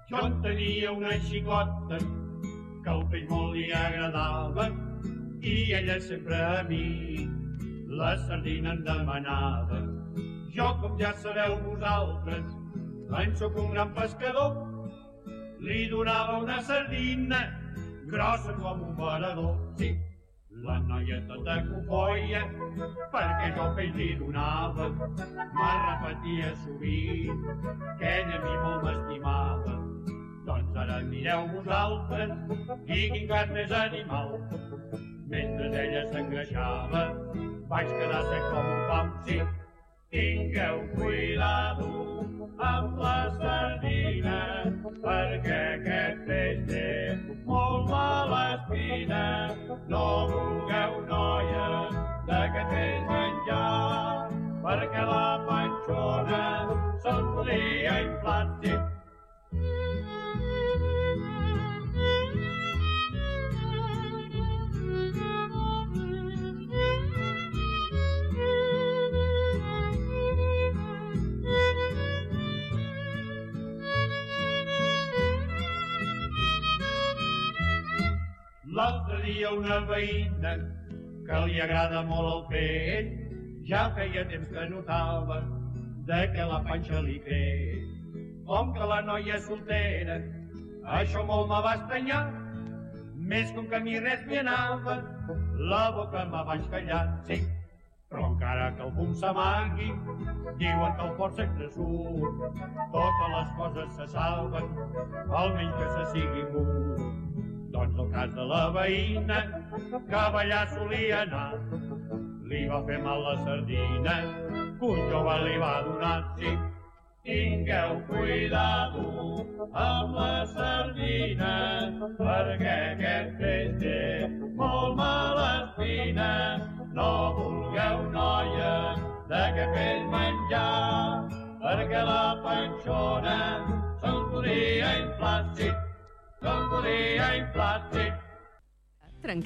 Jo en tenia una xicota que el peix molt li agradava i ella sempre a mi la sardina em demanava. Jo, com ja sabeu vosaltres, en sóc un gran pescador, li donava una sardina grossa com un varador. Sí, la noia tota cofoia, perquè jo peix li donava, me repetia sovint que ella a mi molt m'estimava. Doncs ara mireu vosaltres i quin gat més animal. Mentre ella s'engreixava, vaig quedar sec com un pam. Sí, tingueu cuidado amb la sardina, perquè aquest peix té molt mala espina. No vulgueu, noia, d'aquest peix menjar, perquè la panxona se'ls podria inflar. Sí. L'altre dia una veïna que li agrada molt el pell ja feia temps que notava de que la panxa li creix. Com que la noia és soltera, això molt me va estranyar. Més que un camí res m'hi anava, la boca me vaig callar, sí. Però encara que el fum s'amagui, diuen que el fort sempre surt. Totes les coses se salven, almenys que se sigui mut. Doncs el cas de la veïna, que a ballar solia anar, li va fer mal la sardina, que un jove li va donar, sí. Tingueu cuidado amb la sardina, perquè aquest peix té molt mala espina. No vulgueu, noies, d'aquest peix menjar, perquè la panxona se'n podria inflar, sí, se'n podria inflar, sí.